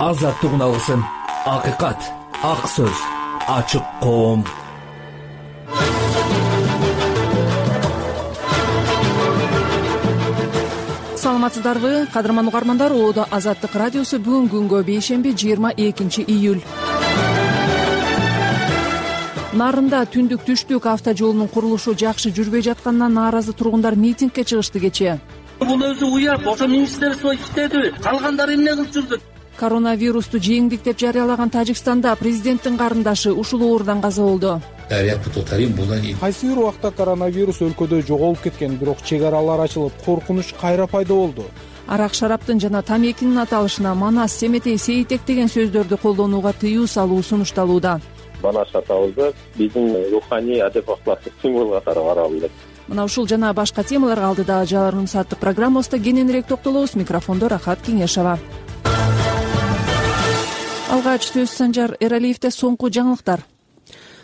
азаттык алсын. Акыйкат, ак сөз, ачык коом. Саламатсыздарбы, кадырман угармандар? Оодо Азаттык радиосу бүгүн күнгө бейшемби 22 июль. Нарында түндүк түштүк автожолунун курулушу жакшы жүрбөй жатканынан нааразы тургундар митингге чыгышты кечээ. Бул өзү уят, ошо министерство иштеди, калгандары эмне кылып жүрдү? Коронавирусту жеңдик деп жарыялаган Тажикстанда президенттин карындашы ушул оорудан каза болду. Кайсы бир убакта коронавирус өлкөдө жоголуп кеткен, бирок чек аралар ачылып, коркунуч кайра пайда болду. Арак шараптын жана тамекинин аталышына манас, семетей, сейитек деген сөздөрдү колдонууга тыюу салуу сунушталууда. Манас атабызды биздин руханий адеп акылаттык символ катары каралды. Мына ушул жана башка темаларга алдыда жарым сааттык программабызда кененирээк токтолобуз. Микрофондо Рахат Кеңешова. Алгач сөз Санжар Эралиевде соңку жаңылыктар.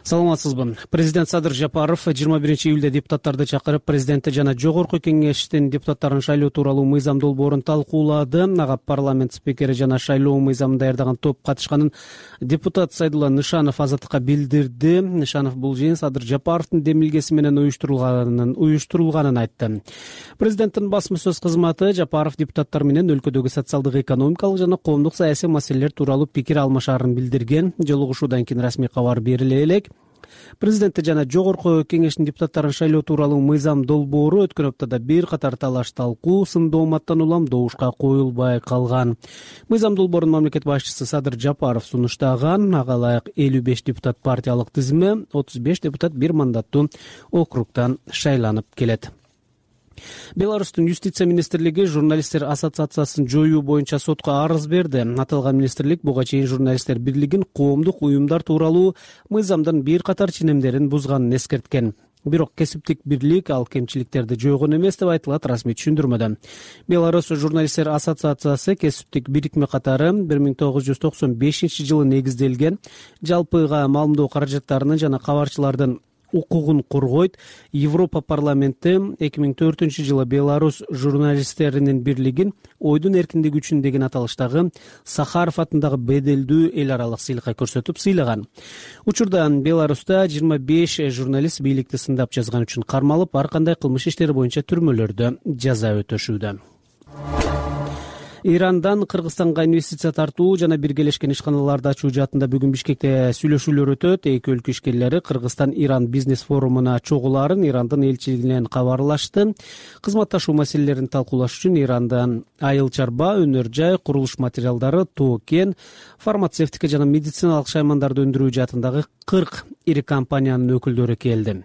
Саламатсызбы. Президент Садыр Жапаров 21 июлда депутаттарды чакырып, президенти жана жогорку кеңештин депутаттарын шайлоо тууралуу мыйзам долбоорун талкуулады. Ага парламент спикери жана шайлоо мыйзамын даярдаган топ катышканын депутат Сайдулла Нышанов Азаттыкка билдирди. Нышанов бул жыйын Садыр Жапаровдун демилгеси менен уюштурулганын айтты. Президенттин басма сөз кызматы Жапаров депутаттар менен өлкөдөгү социалдык, экономикалык жана коомдук саясий маселелер тууралуу пикир алмашаарын билдирген. Жолугушуудан кийин расмий кабар бериле элек. Президенти жана жогорку кеңештин депутаттарын шайлоо тууралуу мыйзам долбоору өткөн аптада бир катар талаш талкуу, сындооматтан улам добушка коюлбай калган. Мыйзам долбоорун мамлекет башчысы Садыр Жапаров сунуштаган. Ага ылайык 55 депутат партиялык тизме, 35 депутат бир мандаттуу округдан шайланып келет. Беларустун юстиция министрлиги журналисттер ассоциациясын жоюу боюнча сотко арыз берди. Аталган министрлик буга чейин журналисттер бирлигин коомдук уюмдар тууралуу мыйзамдын бир катар ченемдерин бузганын эскерткен. Бирок кесиптик бирлик ал кемчиликтерди жойгон эмес деп айтылат расмий түшүндүрмөдө. Беларусь журналисттер ассоциациясы кесиптик бирикме катары 1995 жылы негизделген, жалпыга маалымдоо каражаттарынын жана кабарчылардын укугун коргойт. Европа парламенти 2004 жылы Беларусь журналисттеринин бирлигин ойдун эркиндиги үчүн деген аталыштагы Сахаров атындагы беделдүү эл аралык сыйлыкка көрсөтүп сыйлаган. Учурда Беларуста 25 журналист бийликти сындап жазган үчүн кармалып, ар кандай кылмыш иштери боюнча түрмөлөрдө жаза өтөшүүдө. Ирандан Кыргызстанга инвестиция тартуу жана биргелешкен ишканаларды ачуу жаатында бүгүн Бишкекте сүйлөшүүлөр өтөт. Эки өлкө ишкерлери Кыргызстан-Иран бизнес форумуна чогулаарын Ирандын элчилигинен кабарлашты. Кызматташуу маселелерин талкуулаш үчүн Ирандан айыл чарба, өнөр жай, курулуш материалдары, тоо кен, фармацевтика жана медициналык шаймандарды өндүрүү жаатындагы 40 ири компаниянын өкүлдөрү келди.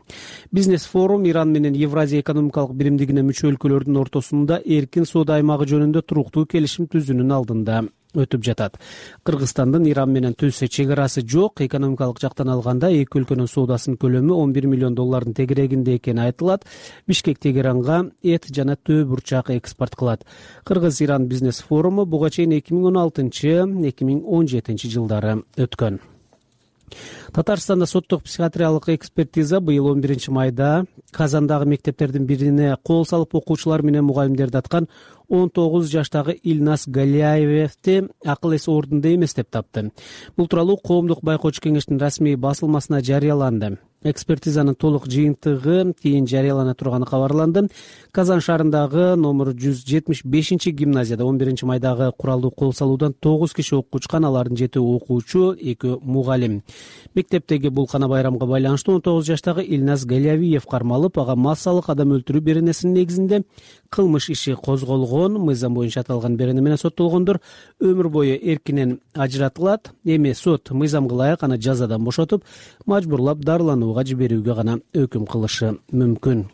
Бизнес форум Иран менен Евразия экономикалык биримдигине мүчө өлкөлөрдүн ортосунда эркин соода аймагы жөнүндө туруктуу келишим түзүүнүн алдында өтүп жатат. Кыргызстандын Иран менен түз чек арасы жок. Экономикалык жактан алганда эки өлкөнүн соодасынын көлөмү $11 миллион тегерегинде экени айтылат. Бишкек Тегеранга эт жана төө бурчак экспорт кылат. Кыргыз-Иран бизнес форуму буга чейин 2016-2017 жылдары өткөн. Татарстанда соттук психиатриялык экспертиза быйыл 11 майда Казандагы мектептердин бирине кол салып окуучулар менен мугалимдерди аткан 19 жаштагы Илнас Галиаевди акыл эси ордунда эмес деп тапты. Бул тууралуу коомдук байкоочу кеңештин расмий басылмасына жарыяланды. Экспертизанын толук жыйынтыгы кийин жарыялана турганы кабарланды. Казан шаарындагы номер 175 гимназияда 11 майдагы куралдуу кол салуудан 9 киши окуучкан, алардын 7 окуучу, 2 мугалим. Мектептеги булкана байрамга байланыштуу 19 жаштагы Илнас Галиавиев кармалып, ага массалык адам өлтүрүү беренесинин негизинде кылмыш иши козголгон. Мыйзам боюнча аталган берене менен соттолгондор өмүр бою эркинен ажыратылат. Эми сот мыйзамга ылайык аны жазадан бошотуп, мажбурлап дарыланууга жиберүүгө гана өкүм кылышы мүмкүн.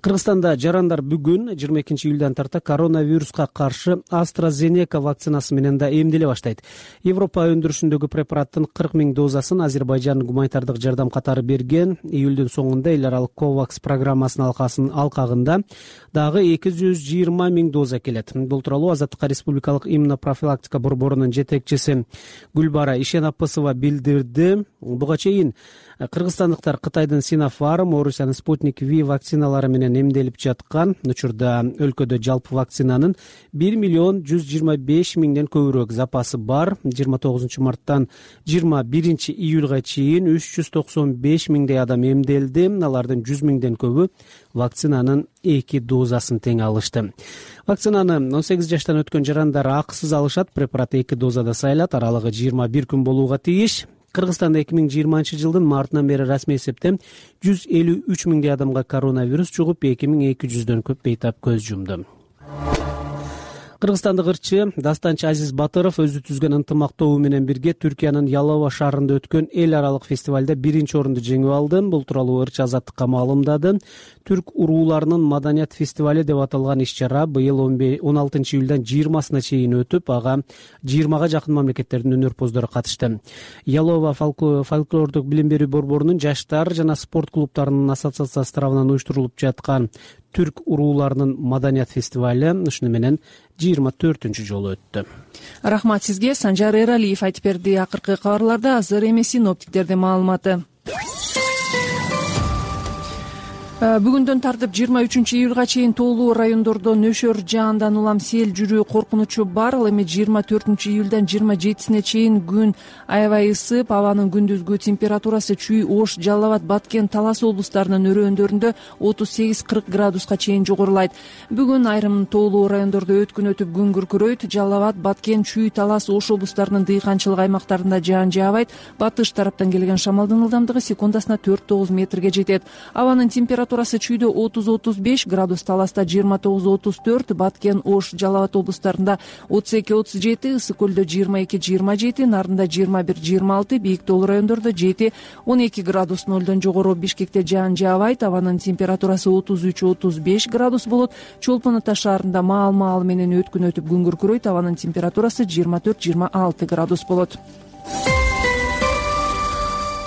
Кыргызстанда жарандар бүгүн 22 июлдан тарта коронавируска каршы AstraZeneca вакцинасы менен да эмделе баштайт. Европа өндүрүшүндөгү препараттын 40 000 дозасын Азербайжан гуманитардык жардам катары берген. Июлдун соңунда эл аралык COVAX программасынын алкагында дагы 220 000 доза келет. Бул тууралуу Азаттыкка Республикалык иммунопрофилактика борборунун жетекчиси Гүлбара Ишенапысова билдирди. Буга чейин кыргызстандыктар Кытайдын Sinopharm, Орусиянын Sputnik V вакциналары менен менен эмделип жаткан. Учурда өлкөдө жалпы вакцинанын 1.125.000 көбүрөөк запасы бар. 29 марттан 21 июлга чейин 395.000 адам эмделди. Алардын 100.000 көбү вакцинанын 2 дозасын тең алышты. Вакцинаны 18 жаштан өткөн жарандар акысыз алышат. Препарат 2 дозада сайылат. Аралыгы 21 күн болууга тийиш. Кыргызстанда 2020 жылдын мартынан бери расмий эсептен 153.000 адамга коронавирус жугуп, 2200дөн көп бейтап көз жумду. Кыргызстандык ырчы дастанчы Азиз Батыров өзү түзгөн ынтымактоо менен бирге Түркиянын Ялова шаарында өткөн эл аралык фестивалда 1-чи орунду жеңип алды. Бул тууралуу ырчы Азаттыкка маалымдады. Түрк урууларынын маданият фестивали деп аталган иш-чара быйыл 16 июлдан 20-сына чейин өтүп, ага 20га жакын мамлекеттердин өнөрпоздору катышты. Ялова фольклордук билим берүү борборунун жаштар жана спорт клубтарынын ассоциациясы тарабынан уюштурулуп жаткан Түрк урууларынын маданият фестивали ушуну менен 24-үнчү жолу өттү. Рахмат сизге. Санжар Эралиев айтып берди. Акыркы кабарларда азыр эми синоптиктердин маалыматы. Бүгүндөн тартып 23-июлга чейин тоолуу райондордо нөшөр жаандан улам сел жүрүү коркунучу бар. Ал эми 24-июлдан 27-сине чейин күн аябай ысып, абанын күндүзгү температурасы Чүй, Ош, Жалал Абад, Баткен, Талас облустарынын өрөөндөрүндө 38-40 градуска чейин жогорулайт. Бүгүн айрым тоолуу райондордо өткүн өтүп күн күркүрөйт. Жалал Абад, Баткен, Чүй, Талас, Ош облустарынын дыйканчылык аймактарында жаан жаабайт. Батыш тараптан келген шамалдын ылдамдыгы секундасына 4-9 метрге жетет. Абанын температурасы Чүйдө 30-35 градус, Таласта 29-34, Баткен, Ош, Жалал Абад облустарында 32-37, Ысык көлдө 22-27, Нарында 21-26, бийик тоолуу райондордо 7-12 градус, нолдон жогору. Бишкекте жаан жаабайт. Абанын температурасы 33-35 градус болот. Чолпон Ата шаарында маал менен өткүн өтүп күн күркүрөйт. Абанын температурасы 24-26 градус болот.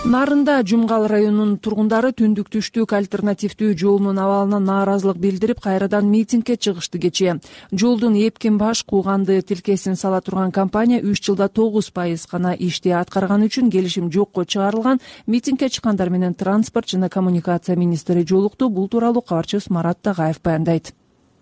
Нарында Жумгал районунун тургундары түндүк-түштүк альтернативдүү жолунун абалына нааразылык билдирип, кайрадан митингге чыгышты. Кечээ жолдун эпкин баш кууганды тилкесин сала турган компания 3 жылда 9% гана ишти аткарган үчүн келишим жокко чыгарылган. Митингге чыккандар менен транспорт жана коммуникация министри жолукту. Бул тууралуу кабарчыбыз Марат Тагаев баяндайт.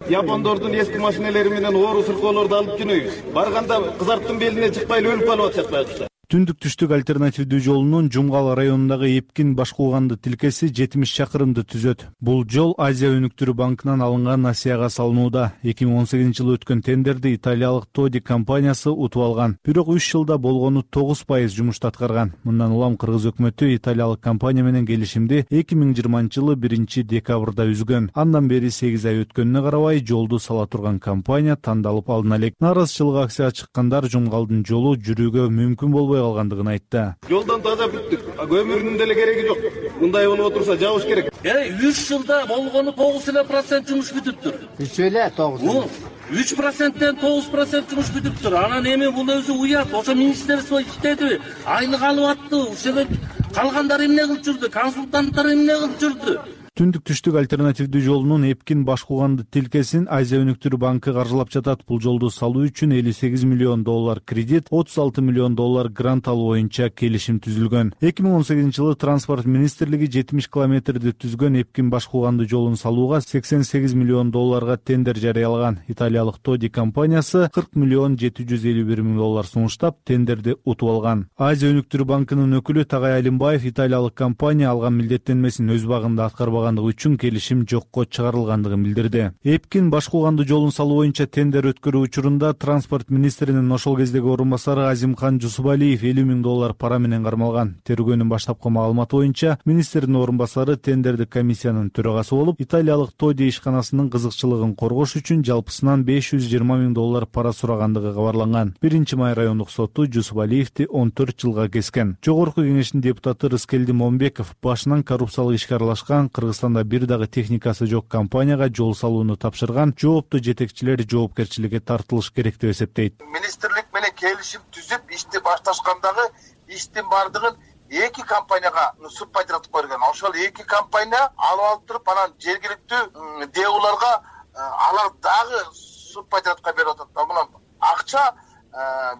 Япондордун эски машинелери менен оору сыркоолорду алып жүрөбүз. Барганда кызарттын белине чыкпай өлүп калып атышат байкуштар. Түндүк-түштүк альтернативдүү жолунун Жумгал районундагы эпкин баш кууганды тилкеси 70 чакырымды түзөт. Бул жол Азия өнүктүрүү банкынан алынган насыяга салынууда. 2018 жылы өткөн тендерди италиялык Тоди компаниясы утуп алган. Бирок 3 жылда болгону 9% жумушту аткарган. Мындан улам кыргыз өкмөтү италиялык компания менен келишимди 2020 жылы 1-декабрда үзгөн. Андан бери 8 ай өткөнүнө карабай жолду сала турган компания тандалып алына элек. Нааразычылык акцияга чыккандар Жумгалдын жолу жүрүүгө мүмкүн болбой калгандыгын айтты. Жолдон таза бүттүк. Көмүрдүн деле кереги жок. Мындай болуп отурса жабыш керек. 3 жылда болгону 9% жумуш бүтүптүр. 3 эле 9. 3%тен 9% жумуш бүтүптүр. Анан эми бул өзү уят. Ошо министерство иштеди. Айлык алып атты. Ошого калгандар эмне кылып жүрдү? Консультанттар эмне кылып жүрдү? Түндүк-түштүк альтернативдүү жолунун эпкин баш кууганды тилкесин Азия өнүктүрүү банкы каржылап жатат. Бул жолду салуу үчүн $58 миллион кредит, $36 миллион грант алуу боюнча келишим түзүлгөн. 2018 жылы транспорт министрлиги 70 километрди түзгөн эпкин баш кууганды жолун салууга $88 миллион тендер жарыялаган. Италиялык Тоди компаниясы $40,751 миң сунуштап, тендерди утуп алган. Азия өнүктүрүү банкынын өкүлү Тагай Алимбаев италиялык компания алган милдеттенмесин өз багында аткарбаган үчүн келишим жокко чыгарылгандыгын билдирди. Эпкин баш кууганды жолун салуу боюнча тендер өткөрүү учурунда транспорт министринин ошол кездеги орун басары Азимхан Жусубалиев $50 миң пара менен кармалган. Тергөөнүн баштапкы маалыматы боюнча министрдин орун басары тендердик комиссиянын төрагасы болуп, италиялык Тоди ишканасынын кызыкчылыгын коргош үчүн жалпысынан $520 миң пара сурагандыгы кабарланган. 1-май райондук соту Жусубалиевди 14 жылга кескен. Жогорку кеңештин депутаты Рыскелди Момбеков башынан коррупциялык ишке аралашкан Кыргызстанда бир дагы техникасы жок компанияга жол салууну тапшырган жооптуу жетекчилер жоопкерчиликке тартылыш керек деп эсептейт. Министрлик менен келишим түзүп ишти башташкандагы иштин бардыгын эки компанияга субпатиратып койгон. Ошол эки компания алып алып туруп, анан жергиликтүү ДЭУларга алар дагы субпатиратка берип атат. Мына акча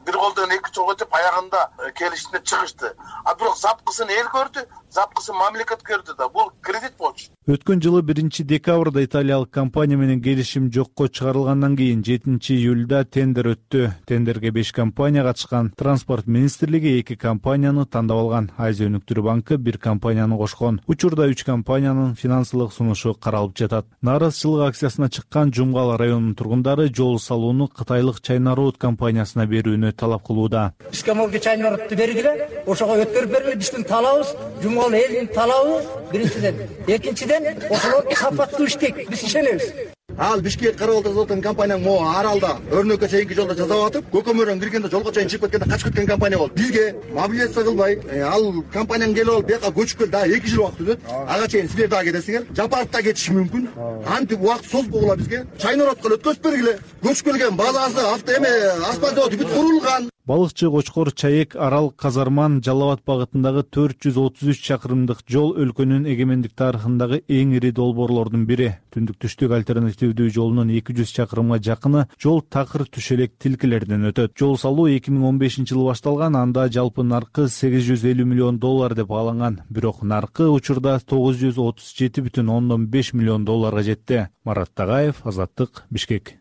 бир колдон эки жол өтүп аягында келишимге чыгышты. А бирок запкысын эл көрдү. запкысын мамлекетке берди да, бул кредит болчу. Өткөн жылы 1-декабрда италиялык компания менен келишим жокко чыгарылгандан кийин 7-июлда тендер өттү. Тендерге 5 компания катышкан. Транспорт министрлиги 2 компанияны тандап алган. Азия өнүктүрүү банкы 1 компанияны кошкон. Учурда 3 компаниянын финансылык сунушу каралып жатат. Нааразычылык акциясына чыккан Жумгал районунун тургундары жол салууну кытайлык China Road компаниясына берүүнү талап кылууда. Бизге могу China Road'ду бергиле, ошого өткөрүп бергиле, биздин талабыбыз, Жумгал элинин талабы биринчиден. Экинчиден, ошолор сапаттуу иштейт, биз ишенебиз. Ал Бишкек карабалда жасап аткан компанияң могу аралда өрнөккө чейинки жолдо жасап атып, көкөмөрдөн киргенде жолго чейин чыгып кеткенде качып кеткен компания болду. Бизге мобилизация кылбай, ал компанияң келип алып, бияка көчүп кел, дагы 2 жыл убакыт өтөт. Ага чейин силер дагы кетесиңер. Жапарып да кетиши мүмкүн. Антип убакыт созбогула бизге. China Road'га өткөзүп бергиле. Көчүп келген базасы асфальт заводу бүт курулган. Балыкчы Кочкор Чаек Арал Казарман Жалал Абад багытындагы 433 чакырымдык жол өлкөнүн эгемендик тарыхындагы эң ири долбоорлордун бири. Түндүк-түштүк альтернативдүү жолунун 200 чакырымга жакыны жол такыр түшелек тилкелерден өтөт. Жол салуу 2015-жылы башталган, анда жалпы наркы $850 миллион деп бааланган. Бирок наркы учурда $937,5 миллион жетти. Марат Тагаев, Азаттык, Бишкек.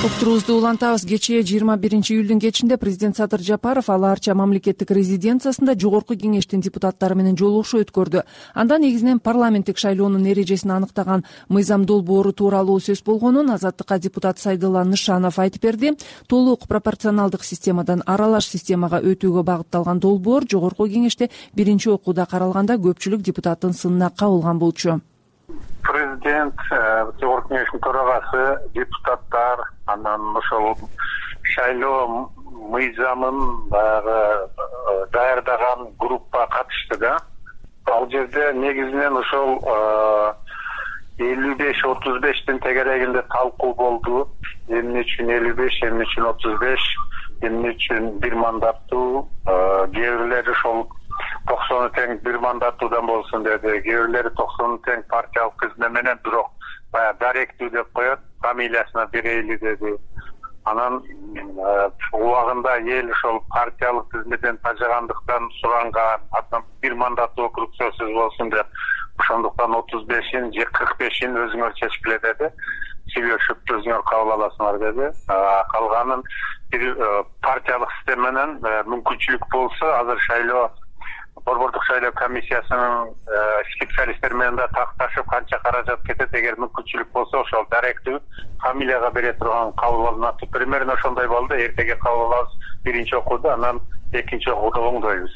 Уктуруубузду улантабыз. Кечээ 21-июлдун кечинде президент Садыр Жапаров Ала Арча мамлекеттик резиденциясында жогорку кеңештин депутаттары менен жолугушуу өткөрдү. Анда негизинен парламенттик шайлоонун эрежесин аныктаган мыйзам долбоору тууралуу сөз болгонун Азаттыкка депутат Сайдулла Нышанов айтып берди. Толук пропорционалдык системадан аралаш системага өтүүгө багытталган долбоор жогорку кеңеште биринчи окууда каралганда көпчүлүк депутаттын сынына кабылган болчу. Президент, жогорку кеңештин төрагасы, депутаттар, анан ошол шайлоо мыйзамын баягы даярдаган группа катышты да. Ал жерде негизинен ошол 55-35 тегерегинде талкуу болду. Эмне үчүн 55, эмне үчүн 35, эмне үчүн бир мандаттуу, кээ бирлери ошол 90 тең бир мандаттуудан болсун деди. Кээ бирлери 90 тең партиялык кызмет менен, бирок баягы даректүү деп коет, фамилиясына берейли деди. Анан убагында эл ошол партиялык кызметтен тажагандыктан суранган, атан бир мандаттуу округ сөзсүз болсун деп, ошондуктан 35-ин же 45-ин өзүңөр чечкиле деди. Сүйлөшүп өзүңөр кабыл аласыңар деди. Калганын партиялык система менен мүмкүнчүлүк болсо, азыр шайлоо Борбордук шайлоо комиссиясынын специалисттери менен да такташып канча каражат кетет, эгер мүмкүнчүлүк болсо ошол даректүү фамилияга бере турган кабыл алынат. Примерно ошондой болду. Эртеге кабыл алабыз биринчи окууда, анан экинчи окууда оңдойбуз.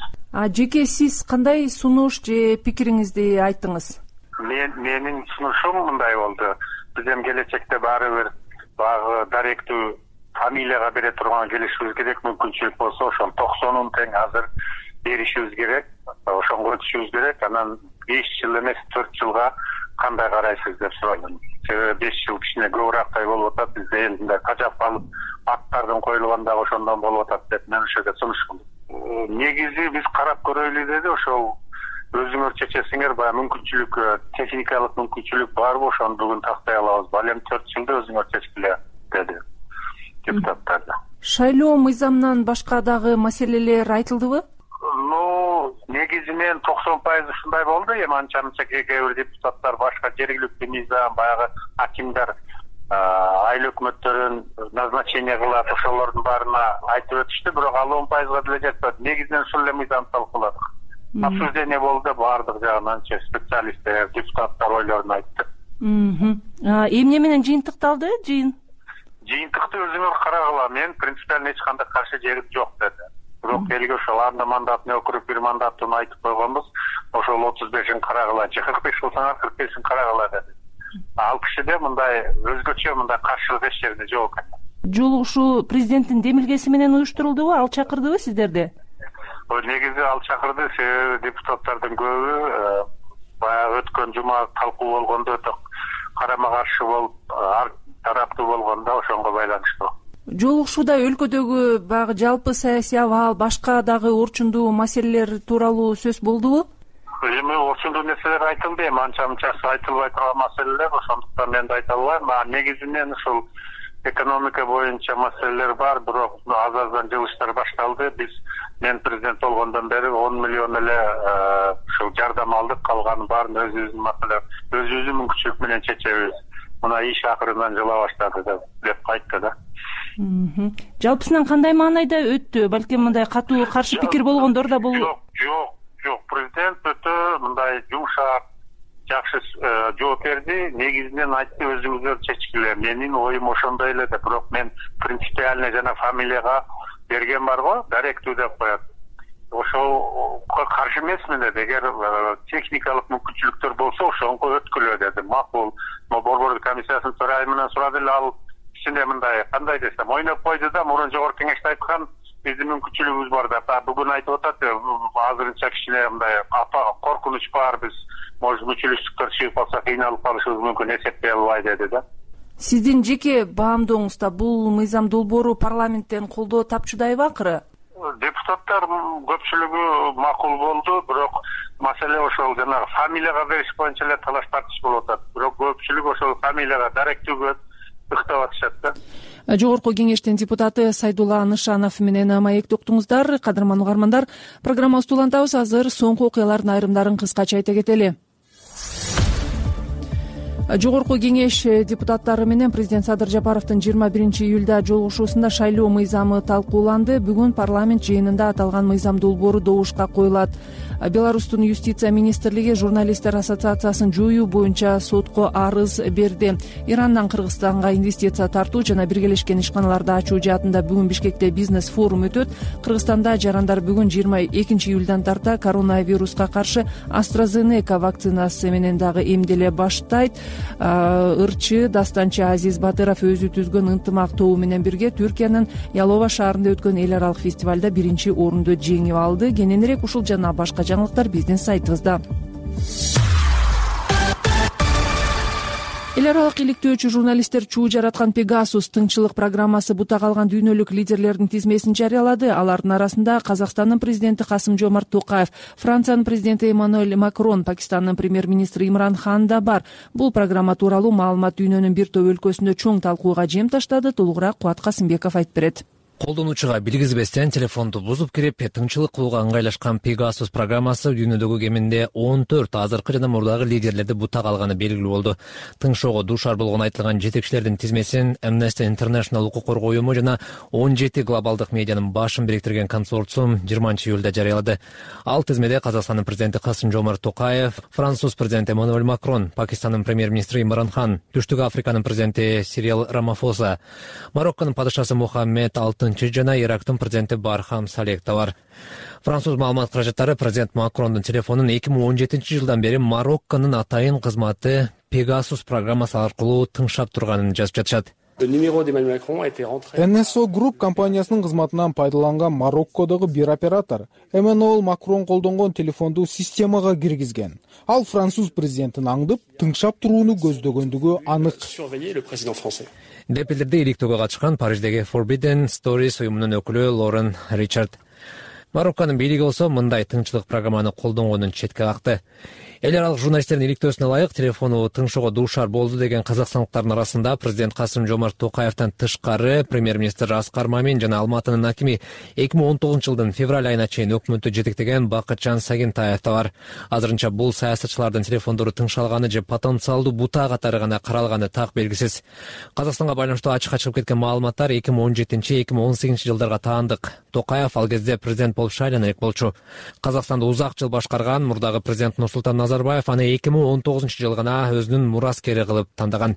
Жеке сиз кандай сунуш же пикириңизди айттыңыз? Менин сунушум мындай болду. Биз эми келечекте баары бир баягы даректүү фамилияга бере турган келишибиз керек. Мүмкүнчүлүк болсо ошол 90 тең азыр беришибиз керек, ошонго өтүшүбүз керек. Анан 5 жыл эмес 4 жылга кандай карайсыз деп сурайм. Себеби 5 жыл кичине көбүрөөктай болуп атат. Бизде элдинде кажап калып, аттардын коюлган дагы ошондон болуп атат деп мен ошого сунуш кылдым. Негизи биз карап көрөлү деди. Ошол өзүңөр чечесиңер, баягы мүмкүнчүлүк, техникалык мүмкүнчүлүк барбы, ошону бүгүн тактай алабыз. Балем 4 жылда өзүңөр чечкиле деди депутаттар. Шайлоо мыйзамынан башка дагы маселелер айтылдыбы? Негизинен 90% ушундай болду. Эми анча-мынча кээ бир депутаттар башка жергиликтүү мыйзам, баягы акимдар айыл өкмөттөрүн назначение кылат, ошолордун баарына айтып өтүштү. Бирок ал 10%га деле жетпеді. Негизинен ушул эле мыйзам талкууладык. Обсуждение болду, баардык жагынан специалисттер, депутаттар ойлорун айтты. Эмне менен жыйынтыкталды? Жыйынтыкты өзүңөр карагыла. Мен принципиально эч кандай каршы жерим жок деди. Бирок элге ошол анда мандатын өкүрүп бир мандатын айтып койгонбуз. Ошол 35-ин карагыла, 45 болсоңар 45-ин карагыла деди. Ал кишиде мындай өзгөчө мындай каршылык эч жерде жок экен. Жолугушуу президенттин демилгеси менен уюштурулдубу? Ал чакырдыбы сиздерди? Негизи ал чакырды. Себеби депутаттардын көбү баягы өткөн жума талкуу болгондо өтө карама каршы болуп, тараптуу болгондо ошонго байланыштуу. Жолугушууда өлкөдөгү баягы жалпы саясий абал, башка дагы орчундуу маселелер тууралуу сөз болдубу? Эми орчундуу нерселер айтылды, эми анча-мынчасы айтылбай турган маселелер, ошондуктан мен да айта албайм. Негизинен ушул экономика боюнча маселелер бар, бирок аздан жылыштар башталды. Мен президент болгондон бери 10 миллион эле ушул жардам алдык, калганы баарын өзүбүздүн маселе, өзүбүздүн мүмкүнчүлүк менен чечебиз. Мына иш акырынан жыла баштады деп кайтты да. Жалпысынан кандай маанайда өттү? Балким мындай катуу каршы пикир болгондор да болду. Жок, президент өтө мындай жумшак, жакшы жооп берди. Негизинен айтты, өзүңүздөр чечкиле. Менин оюм ошондой эле деп, бирок мен принципиально жана фамилияга берген барго, даректүү деп коет. Ошол каршы эмесмин деди. Эгер техникалык мүмкүнчүлүктөр болсо, ошонго өткүлө деди. Макул. Борбор комиссиясынын төрайымынан сурады эле, ал кичине мындай кандай десем, ойноп койду да, мурун жогорку кеңеште айткан биздин мүмкүнчүлүгүбүз бар деп. Бүгүн айтып атат, азырынча кичине мындай коркунуч бар, биз мүчүлүштүктөр чыгып калса кыйналып калышыбыз мүмкүн, эсептей албай деди да. Сиздин жеке баамдооңузда бул мыйзам долбоору парламенттен колдоо тапчудайбы акыры? Депутаттар көпчүлүгү макул болду, бирок маселе ошол жанагы фамилияга бериш боюнча эле талаш тартыш болуп атат. Бирок көпчүлүк ошол фамилияга даректүүгө ыктап атышат да. Жогорку кеңештин депутаты Сайдулла Нышанов менен маек токтуңуздар. Кадырман угармандар, программабызды улантабыз. Азыр соңку окуялардын айрымдарын кыскача айта кетели. Жогорку кеңеш депутаттары менен президент Садыр Жапаровдун 21-июлда жолугушуусунда шайлоо мыйзамы талкууланды. Бүгүн парламент жыйынында аталган мыйзам долбоору добушка коюлат. Беларустун юстиция министрлиги журналисттер ассоциациясын жоюу боюнча сотко арыз берди. Ирандан Кыргызстанга инвестиция тартуу жана биргелешкен ишканаларды ачуу жаатында бүгүн Бишкекте бизнес форум өтөт. Кыргызстанда жарандар бүгүн 22-июлдан тарта коронавируска каршы AstraZeneca вакцинасы менен дагы эмделе баштайт. Ырчы дастанчы Азиз Батыров өзү түзгөн ынтымак тобу менен бирге Түркиянын Ялова шаарында өткөн эл аралык фестивалда 1-орунду жеңип алды. Кененирээк ушул жана башка жаңылыктар биздин сайтыбызда. Эл аралык иликтөөчү журналисттер чуу жараткан Pegasus тыңчылык программасы бута калган дүйнөлүк лидерлердин тизмесин жарыялады. Алардын арасында Казакстандын президенти Касым-Жомарт Токаев, Франциянын президенти Эммануэль Макрон, Пакистандын премьер-министри Имран Хан да бар. Бул программа тууралуу маалымат дүйнөнүн бир топ өлкөсүндө чоң талкууга жем таштады. Толугураак Кубат Касымбеков айтып берет. Колдонуучуга билгизбестен телефонду бузуп кирип, тыңчылык кылууга ыңгайлашкан Pegasus программасы дүйнөдөгү кеминде 14 азыркы жана мурдагы лидерлерди бута калганы белгилүү болду. Тыңшоого дуушар болгон айтылган жетекчилердин тизмесин Amnesty International укук коргоо уюму жана 17 глобалдык медианын башын бириктирген консорциум 20-июлда жарыялады. Ал тизмеде Казакстандын президенти Касым-Жомарт Токаев, Француз президенти Эммануэль Макрон, Пакистандын премьер-министри Имран Хан, Түштүк Африканын президенти Сирил Рамафоса, Марокконун падышасы Мухаммед жана Ирактын президенти Бархам Салех да бар. Француз маалымат каражаттары президент Макрондун телефонун 2017-жылдан бери Марокконун атайын кызматы Pegasus программасы аркылуу тыңшап турганын жазып жатышат. NSO Group компаниясынын кызматынан пайдаланган Мароккодогу бир оператор Эммануэль Макрон колдонгон телефонду системага киргизген. Ал француз президентин аңдып, тыңшап турууну көздөгөндүгү анык. Деп билдирди иликтөөгө катышкан Париждеги Forbidden Stories уюмунун өкүлү Лорен Ричард. Марокконун бийлиги болсо мындай тыңчылык программаны колдонгонун четке какты. Эл аралык журналисттердин иликтөөсүнө ылайык телефону тыңшоого дуушар болду деген казакстандыктардын арасында президент Касым-Жомарт Токаевден тышкары премьер-министр Аскар Мамин жана Алматынын акими 2019-жылдын февраль айына чейин өкмөттү жетектеген Бакытжан Сагентаев да бар. Азырынча бул саясатчылардын телефондору тыңшалганы же потенциалдуу бута катары гана каралганы так белгисиз. Казакстанга байланыштуу ачыкка чыгып кеткен маалыматтар 2017-2018 жылдарга таандык. Токаев ал кезде президент болуп шайлана элек болчу. Казакстанды узак жыл башкарган мурдагы президент Нурсултан Назарбаев аны 2019-жылы гана өзүнүн мураскери кылып тандаган.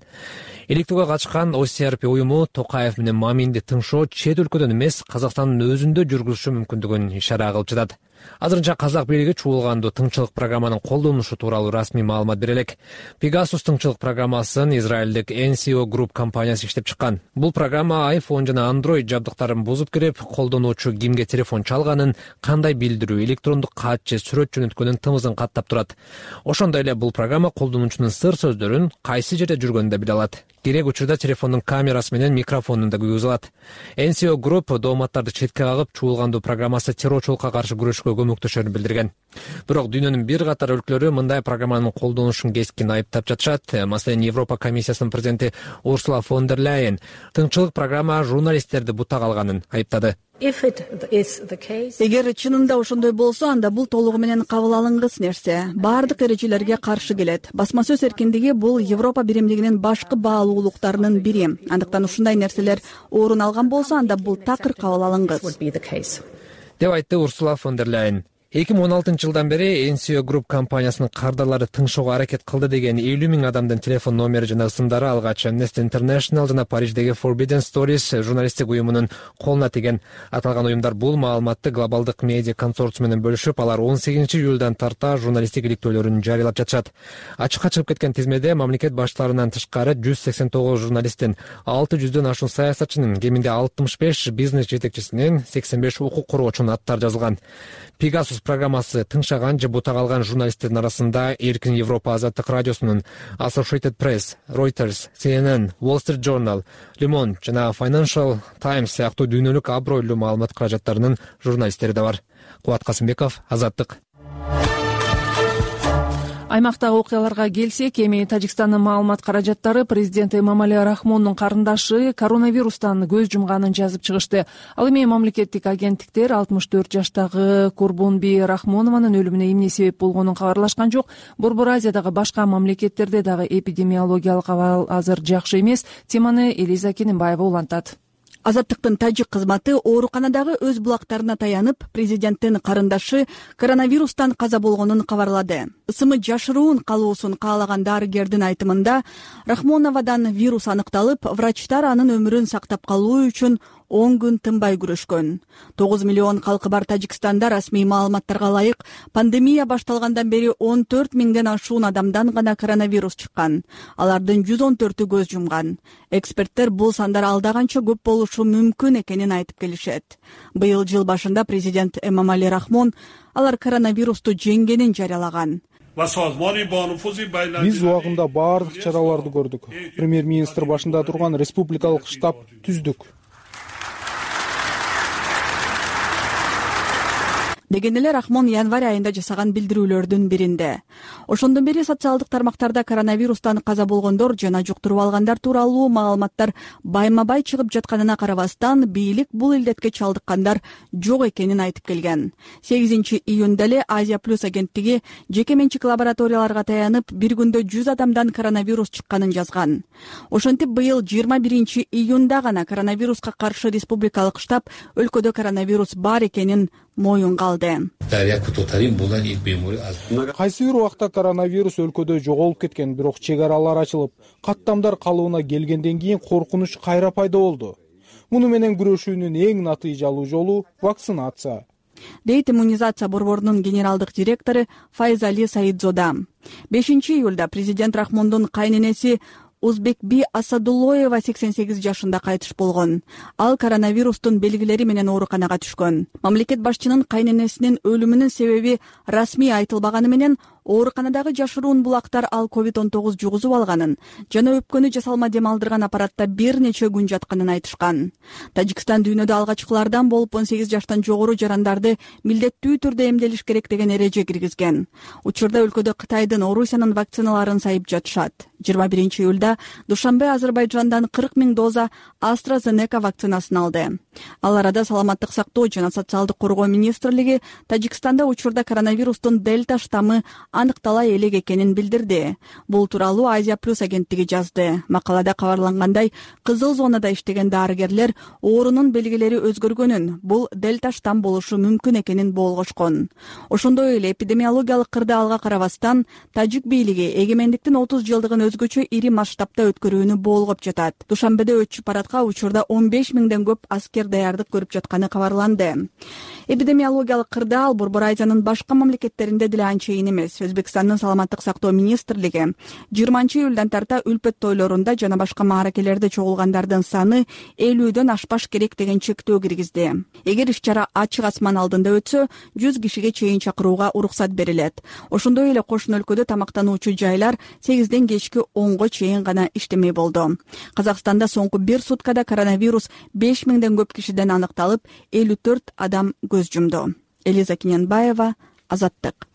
Иликтөөгө катышкан OCRP уюму Токаев менен Маминди тыңшоо чет өлкөдөн эмес, Казакстандын өзүндө жүргүзүшү мүмкүндүгүн ишара кылып жатат. Азырынча казак бийлиги чуулгандуу тыңчылык программанын колдонулушу тууралуу расмий маалымат бере элек. Pegasus тыңчылык программасын израилдик NSO Group компаниясы иштеп чыккан. Бул программа iPhone жана Android жабдыктарын бузуп кирип, колдонуучу кимге телефон чалганын, кандай билдирүү, электрондук кат же сүрөт жөнөткөнүн тымызын каттап турат. Ошондой эле бул программа колдонуучунун сыр сөздөрүн кайсы жерде жүргөнүн да биле алат. Керек учурда телефондун камерасы менен микрофонун да күйгүзө алат. NSO Group дооматтарды четке кагып, чуулгандуу программасы террорчулукка каршы күрөшкө түзүүгө көмөктөшөрүн билдирген. Бирок дүйнөнүн бир катар өлкөлөрү мындай программанын колдонулушун кескин айыптап жатышат. Маселен, Европа комиссиясынын президенти Урсула фон дер Ляйен тыңчылык программа журналисттерди бутак алганын айыптады. Эгер чынында ошондой болсо, анда бул толугу менен кабыл алынгыс нерсе. Баардык эрежелерге каршы келет. Басма сөз эркиндиги бул Европа биримдигинин башкы баалуулуктарынын бири. Андыктан ушундай нерселер орун алган болсо, анда бул такыр кабыл алынгыс, деп айтты Урсула фон дер Ляйен. 2016-жылдан бери NCO Group компаниясынын кардарлары тыңшоого аракет кылды деген 50 000 адамдын телефон номери жана ысымдары алгач Amnesty International жана Париждеги Forbidden Stories журналисттик уюмунун колуна тийген. Аталган уюмдар бул маалыматты глобалдык медиа консорциум менен бөлүшүп, алар 18-июлдан тарта журналисттик иликтөөлөрүн жарыялап жатышат. Ачыкка чыгып кеткен тизмеде мамлекет баштарынан тышкары 189 журналисттин, 600дөн ашуун саясатчынын, кеминде 65 бизнес жетекчисинин, 85 укук коргоочунун аттары жазылган. Pegasus программасы тыңшаган же бутак алган журналисттердин арасында Эркин Европа азаттык радиосунун, Associated Press, Reuters, CNN, Wall Street Journal, Le Monde жана Financial Times сыяктуу дүйнөлүк абройлуу маалымат каражаттарынын журналисттери да бар. Кубат Касымбеков, Азаттык. Аймактагы окуяларга келсек, эми Тажикстандын маалымат каражаттары президент Эмомали Рахмондун карындашы коронавирустан көз жумганын жазып чыгышты. Ал эми мамлекеттик агенттиктер 64 жаштагы Курбунби Рахмонованын өлүмүнө эмне себеп болгонун кабарлашкан жок. Борбор Азиядагы башка мамлекеттерде дагы эпидемиологиялык абал азыр жакшы эмес. Теманы Элиза Кененбаева улантат. Азаттыктын тажик кызматы ооруканадагы өз булактарына таянып, президенттин карындашы коронавирустан каза болгонун кабарлады. Ысымы жашыруун калуусун каалаган дарыгердин айтымында, Рахмоновадан вирус аныкталып, врачтар анын өмүрүн сактап калуу үчүн 10 күн тынбай күрөшкөн. 9 миллион калкы бар Тажикстанда расмий маалыматтарга ылайык пандемия башталгандан бери 14 000ден ашуун адамдан гана коронавирус чыккан. Алардын 114-ü көз жумган. Эксперттер бул сандар алдаганча көп болушу мүмкүн экенин айтып келишет. Быйыл жыл башында президент Эмомали Рахмон алар коронавирусту жеңгенин жарыялаган. Биз убагында баардык чараларды көрдүк. Премьер-министр башында турган республикалык штаб түздүк. Деген эле Рахмон январь айында жасаган билдирүүлөрдүн биринде. Ошондон бери социалдык тармактарда коронавирустан каза болгондор жана жуктуруп алгандар тууралуу маалыматтар байма-бай чыгып жатканына карабастан, бийлик бул илдетке чалдыккандар жок экенин айтып келген. 8-июнда эле Азия Плюс агенттиги жеке менчик лабораторияларга таянып, бир күндө 100 адамдан коронавирус чыкканын жазган. Ошентип, быйыл 21-июнда гана коронавируска каршы республикалык штаб өлкөдө коронавирус бар экенин моюнга алды. Кайсы бир убакта коронавирус өлкөдө жоголуп кеткен, бирок чек аралар ачылып, каттамдар калыбына келгенден кийин коркунуч кайра пайда болду. Муну менен күрөшүүнүн эң натыйжалуу жолу вакцинация, дейт иммунизация борборунун генералдык директору Файзали Саидзода. 5-июлда президент Рахмондун кайненеси Узбекби Асадуллоева 88 жашында кайтыш болгон. Ал коронавирустун белгилери менен ооруканага түшкөн. Мамлекет башчынын кайненесинин өлүмүнүн себеби расмий айтылбаганы менен ооруканадагы жашыруун булактар ал COVID-19 жугузуп алганын жана өпкөнү жасалма дем алдырган аппаратта бир нече күн жатканын айтышкан. Тажикстан дүйнөдө алгачкылардан болуп 18 жаштан жогору жарандарды милдеттүү түрдө эмделиш керек деген эреже киргизген. Учурда өлкөдө Кытайдын, Орусиянын вакциналарын сайып жатышат. 21-июлда Душанбе Азербайджандан 40 000 доза AstraZeneca вакцинасын алды. Ал арада саламаттык сактоо жана социалдык коргоо министрлиги Тажикстанда учурда коронавирустун дельта штаммы аныктала элек экенин билдирди. Бул тууралуу Азия Плюс агенттиги жазды. Макалада кабарлангандай, кызыл зонада иштеген дарыгерлер оорунун белгилери өзгөргөнүн, бул дельта штамм болушу мүмкүн экенин болгошкон. Ошондой эле эпидемиологиялык кырдаалга карабастан, тажик бийлиги эгемендиктин 30 жылдыгын өзгөчө ири масштабта өткөрүүнү болгоп жатат. Душанбеде өтчү парадка учурда 15 000ден көп аскер даярдык көрүп жатканы кабарланды. Эпидемиологиялык кырдаал Борбор Азиянын башка мамлекеттеринде деле анчейин эмес. Өзбекстандын саламаттык сактоо министрлиги 20-июлдан тарта үлпөт тойлорунда жана башка мааракелерде чогулгандардын саны 50дөн ашпаш керек деген чектөө киргизди. Эгер иш-чара ачык асман алдында өтсө, 100 кишиге чейин чакырууга уруксат берилет. Ошондой эле кошун өлкөдө тамактануучу жайлар 8ден кечки 10го чейин гана иштемей болду. Казакстанда соңку бир суткада коронавирус 5 000ден көп кишиден аныкталып, 54 адам көз жумду. Элиза Кененбаева, Азаттык.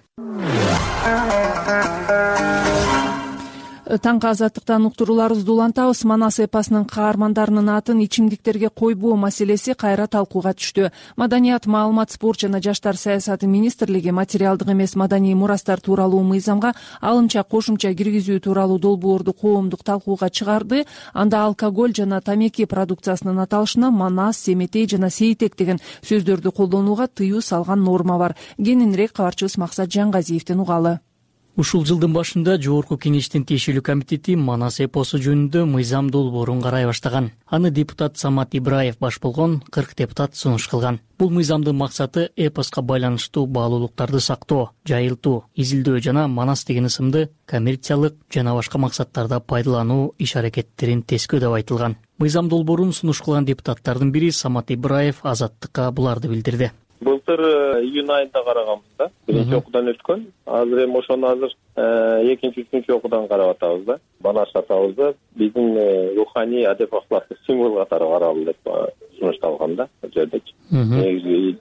Таңкы Азаттыктан уктурууларыбызды улантабыз. Манас эпосунун каармандарынын атын ичимдиктерге койбоо маселеси кайра талкууга түштү. Маданият, маалымат, спорт жана жаштар саясаты министрлиги материалдык эмес маданий мурастар тууралуу мыйзамга алымча кошумча киргизүү тууралуу долбоорду коомдук талкууга чыгарды. Анда алкоголь жана тамеки продукциясынын аталышына манас, семетей жана сейтек деген сөздөрдү колдонууга тыюу салган норма бар. Кененирээк кабарчыбыз Максат Жаңгазиевден угалы. Ушул жылдын башында Жогорку Кеңештин тиешелүү комитети Манас эпосу жөнүндө мыйзам долбоорун карай баштаган. Аны депутат Самат Ибраев баш болгон 40 депутат сунуш кылган. Бул мыйзамдын максаты эпоска байланыштуу баалуулуктарды сактоо, жайылтуу, изилдөө жана Манас деген ысымды коммерциялык жана башка максаттарда пайдалануу иш-аракеттерин тескөө деп айтылган. Мыйзам долбоорун сунуш кылган депутаттардын бири Самат Ибраев Азаттыкка буларды билдирди. Былтыр июнь айында караганбыз да. Биринчи окуудан өткөн. Азыр эми ошону экинчи, үчүнчү окуудан карап атабыз да. Манас атабыз да биздин руханий адеп акылаткы символ катары каралды деп сунушталган да. Бул жердечи. Негизи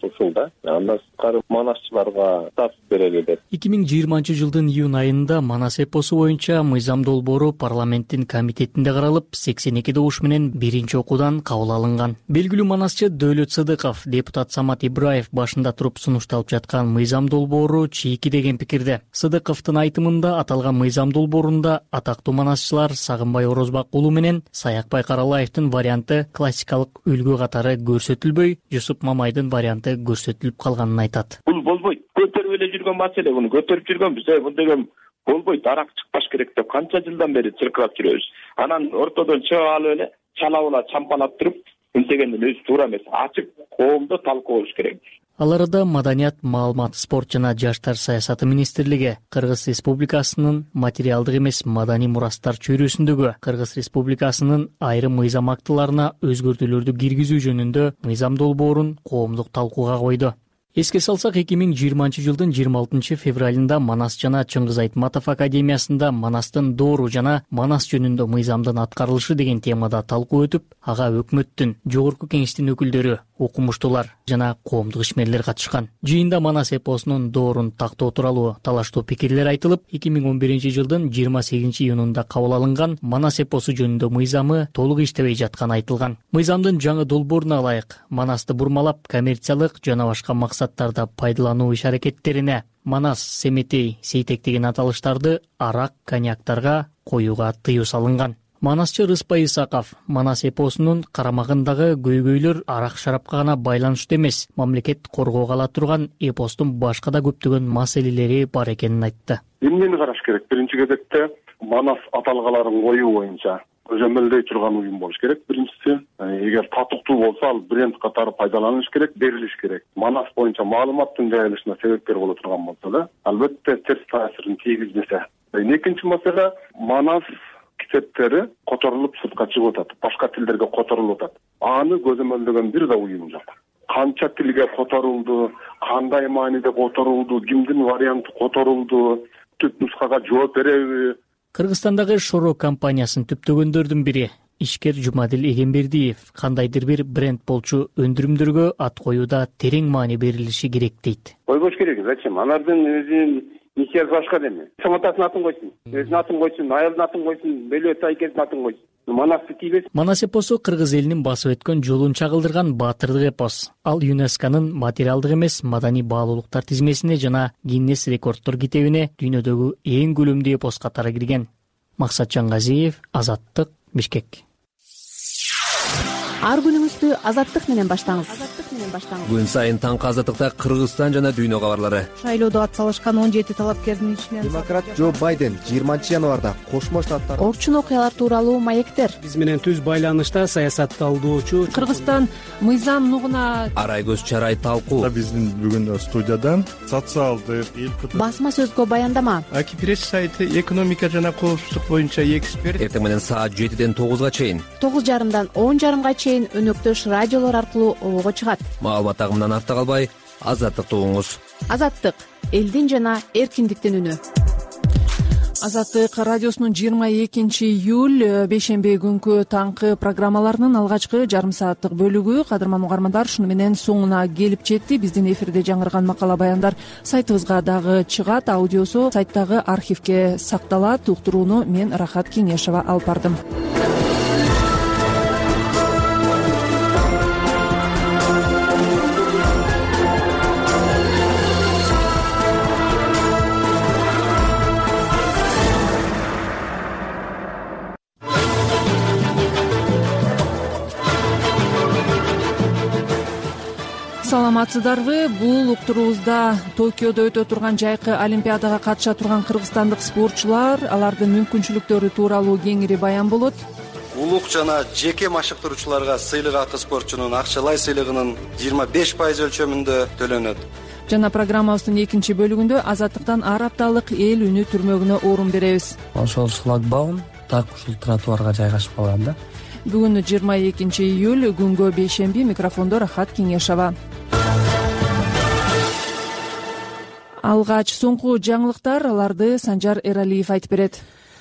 ушул да. Андан сырткары манасчыларга статус берели деп. 2020 жылдын июнь айында Манас эпосу боюнча мыйзам долбоору парламенттин комитетинде каралып, 82 добуш менен биринчи окуудан кабыл алынган. Белгилүү манасчы Дөөлөт Сыдыков депутат Самат Ибраев башында туруп сунушталып жаткан мыйзам долбоору чийки деген пикирде. Сыдыковдун айтымында аталган мыйзам долбоорунда атактуу манасчылар Сагынбай Орозбак уулу менен Саякбай Каралаевдин варианты классикалык үлгү катары көрсөтүлбөй, Жусуп Мамайдын варианты көрсөтүлүп калганын айтат. Бул болбойт. Көтөрүп эле жүргөн маселе, буну көтөрүп жүргөнбүз. Бул деген болбойт, арак чыкпаш керек деп канча жылдан бери чыркырап жүрөбүз. Анан ортодон чыгып алып эле чалабыла чампалап туруп, интегендин өзү туура эмес. Ачык коомдо талкуу болуш керек. Ал арада Маданият, маалымат, спорт жана жаштар саясаты министрлиги Кыргыз Республикасынын материалдык эмес маданий мурастар чөйрөсүндөгү Кыргыз Республикасынын айрым мыйзам актыларына өзгөртүүлөрдү киргизүү жөнүндө мыйзам долбоорун коомдук талкууга койду. Эске салсак, 2020 жылдын 26 февралында Манас жана Чыңгыз Айтматов академиясында Манастын доору жана Манас жөнүндө мыйзамдын аткарылышы деген темада талкуу өтүп, ага өкмөттүн, Жогорку Кеңештин өкүлдөрү, окумуштуулар жана коомдук ишмерлер катышкан. Жыйында Манас эпосунун доорун тактоо тууралуу талаштуу пикирлер айтылып, 2011 жылдын 28 июнунда кабыл алынган Манас эпосу жөнүндө мыйзамы толук иштебей жатканы айтылган. Мыйзамдын жаңы долбооруна ылайык Манасты бурмалап коммерциялык жана башка максаттарда пайдалануу иш-аракеттерине Манас, семетей, сейтек деген аталыштарды арак, коньяктарга коюуга тыюу салынган. Манасчы Рыспай Исаков Манас эпосунун карамагындагы көйгөйлөр арак шарапка гана байланыштуу эмес, мамлекет коргоого ала турган эпостун башка да көптөгөн маселелери бар экенин айтты. Эмнени караш керек? Биринчи кезекте Манас аталгаларын коюу боюнча көзөмөлдөй турган уюм болуш керек. Биринчиси, эгер татыктуу болсо, ал бренд катары пайдаланыш керек, берилиш керек. Манас боюнча маалыматтын жайылышына себепкер боло турган болсо да, албетте терс таасирин тийгизбесе. Экинчи маселе, Манас китептери которулуп сыртка чыгып атат, башка тилдерге которулуп атат. Аны көзөмөлдөгөн бир да уюм жок. Канча тилге которулду, кандай мааниде которулду, кимдин варианты которулду, түп нускага жооп береби? Кыргызстандагы Шоро компаниясын түптөгөндөрдүн бири ишкер Жумадил Эгембердиев кандайдыр бир бренд болчу өндүрүмдөргө ат коюуда терең маани берилиши керек дейт. Койбош керек, зачем? Алардын өзүнүн миссиясы башка деме. Саматасын атын койсун, өзүнүн атын койсун, айылдын атын койсун, Белөт Айкесин атын койсун. Манасты тийбес. Манас эпосу Кыргыз элинин басып өткөн жолун чагылдырган баатырдык эпос. Ал ЮНЕСКОнун материалдык эмес маданий баалуулуктар тизмесине жана Гиннес рекорддор китебине дүйнөдөгү эң көлөмдүү эпос катары кирген. Максат Жаңгазиев, Азаттык, Бишкек. Ар күнүңүздү Азаттык менен баштаңыз. Күн сайын таңкы Азаттыкта Кыргызстан жана дүйнө кабарлары. Шайлоодо атсалышкан 17 талапкердин ичинен демократ Джо Байден 20 январда Кошмо Штаттар орчун окуялар тууралуу маектер. Биз менен түз байланышта саясатталдоочу Кыргызстан мыйзам нугуна арай көз чарай талкуу. Биздин бүгүн студиядан социалдык басма сөзгө баяндама. Акипресс сайты экономика жана коопсуздук боюнча эксперт. Эртең менен саат 7ден 9га чейин, 9:30дан 10:30га чейин өнөктөш радиолор аркылуу обого чыгат. Маалымат агымынан артта калбай, Азаттыкты угуңуз. Азаттык — элдин жана эркиндиктин үнү. Азаттык радиосунун 22 июль бейшемби күнкү таңкы программаларынын алгачкы жарым сааттык бөлүгү кадырман угармандар ушуну менен соңуна келип жетти. Биздин эфирде жаңырган макала баяндар сайтыбызга дагы чыгат, аудиосу сайттагы архивге сакталат. Уктурууну мен Рахат Кеңешова алып бардым. Саламатсыздарбы? Бул уктуруубузда Токиодо өтө турган жайкы олимпиадага катыша турган кыргызстандык спортчулар, алардын мүмкүнчүлүктөрү тууралуу кеңири баян болот. Улук жана жеке машыктыруучуларга сыйлык акы спортчунун акчалай сыйлыгынын 25% өлчөмүндө төлөнөт. Жана программабыздын экинчи бөлүгүндө азаттыктан ар апталык эл үнү түрмөгүнө орун беребиз. Ошол шлагбаум так ушул тротуарга жайгашып калган да. Бүгүн 22 июль күнгө бейшемби, микрофондо Рахат Кеңешова. Алгач соңку жаңылыктар, аларды Санжар Эралиев айтып берет.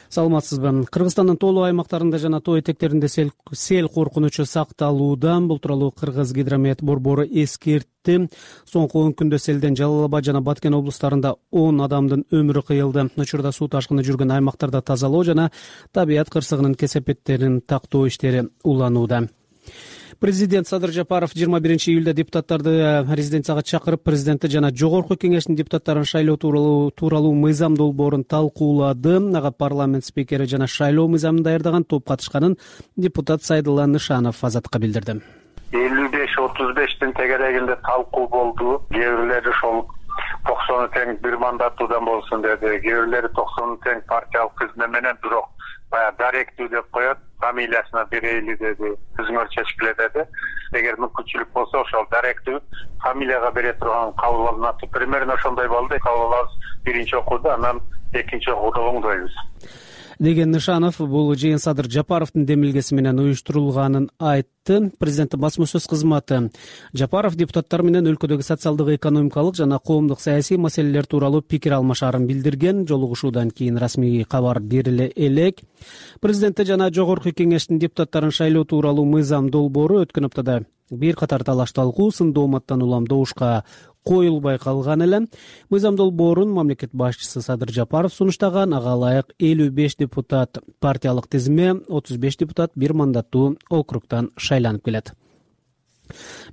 Саламатсызбы? Кыргызстандын тоолуу аймактарында жана тоо этектеринде сел коркунучу сакталууда. Бул тууралуу Кыргыз гидромет борбору эскертти. Соңку 10 күндө селден Жалал Абад жана Баткен облустарында 10 адамдын өмүрү кыйылды. Учурда суу ташкыны жүргөн аймактарда тазалоо жана табият кырсыгынын кесепеттерин тактоо иштери уланууда. Президент Садыр Жапаров 21 июлда депутаттарды резиденцияга чакырып, президенти жана жогорку кеңештин депутаттарын шайлоо тууралуу мыйзам долбоорун талкуулады. Ага парламент спикери жана шайлоо мыйзамын даярдаган топ катышканын депутат Сайдулла Нышанов Азатка билдирди. 55-35 тегерегинде талкуу болду. Кээ бирлери ошол 90 тең бир мандаттуудан болсун деди. Кээ бирлери 90 тең партиялык тизме менен, бирок баягы даректүү деп коет, фамилиясына берейли деди. Өзүңөр чечкиле деди. Эгер мүмкүнчүлүк болсо ошол даректүү фамилияга бере турган кабыл алынат. Примерно ошондой болду. Кабыл алабыз биринчи окууда, анан экинчи окууда оңдойбуз деген Нышанов бул жыйын Садыр Жапаровдун демилгеси менен уюштурулганын айтты. Президенттин басма сөз кызматы Жапаров депутаттар менен өлкөдөгү социалдык, экономикалык жана коомдук саясий маселелер тууралуу пикир алмашаарын билдирген. Жолугушуудан кийин расмий кабар бериле элек. Президенти жана жогорку кеңештин депутаттарын шайлоо тууралуу мыйзам долбоору өткөн аптада бир катар талаш талкуу, сындуу оматтан улам добушка коюлбай калган эле. Мыйзам долбоорун мамлекет башчысы Садыр Жапаров сунуштаган. Ага ылайык 55 депутат партиялык тизме, 35 депутат бир мандаттуу округтан шайланып келет.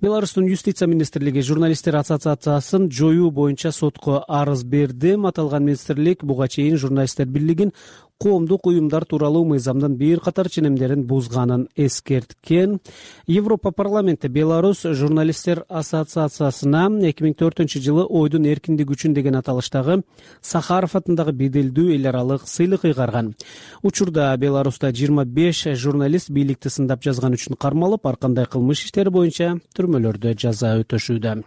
Беларустун юстиция министрлиги журналисттер ассоциациясын жоюу боюнча сотко арыз берди. Аталган министрлик буга чейин журналисттер бирлигин коомдук уюмдар тууралуу мыйзамдын бир катар ченемдерин бузганын эскерткен. Европа парламенти Беларусь журналисттер ассоциациясына 2004-жылы ойдун эркиндиги үчүн деген аталыштагы Сахаров атындагы беделдүү эл аралык сыйлык ыйгарган. Учурда Беларуста 25 журналист бийликти сындап жазган үчүн кармалып, ар кандай кылмыш иштери боюнча түрмөлөрдө жаза өтөшүүдө.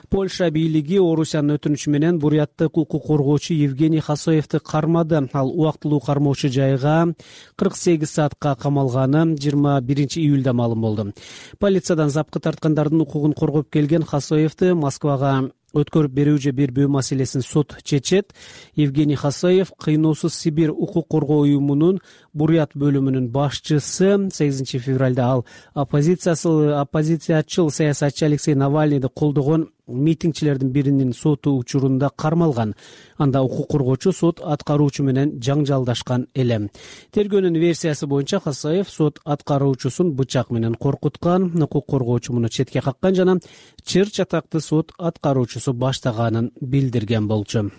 Польша бийлиги Орусиянын өтүнүчү менен буряттык укук коргоочу Евгений Хасоевди кармады. Ал убактылуу кармоочу жайга 48 саатка камалганы 21 июлда маалым болду. Полициядан запкы тарткандардын укугун коргоп келген Хасоевди Москвага өткөрүп берүү же бербөө маселесин сот чечет. Евгений Хасоев Кыйноосуз Сибирь укук коргоо уюмунун бурят бөлүмүнүн башчысы. 8 февралда ал оппозициячыл саясатчы Алексей Навальныйды колдогон митингчилердин биринин соту учурунда кармалган. Анда укук коргоочу сот аткаруучу менен жаңжалдашкан эле. Тергөөнүн версиясы боюнча Хасоев сот аткаруучусун бычак менен коркуткан, укук коргоочу муну четке каккан жана чыр чатакты сот аткаруучусу баштаганын билдирген болчу.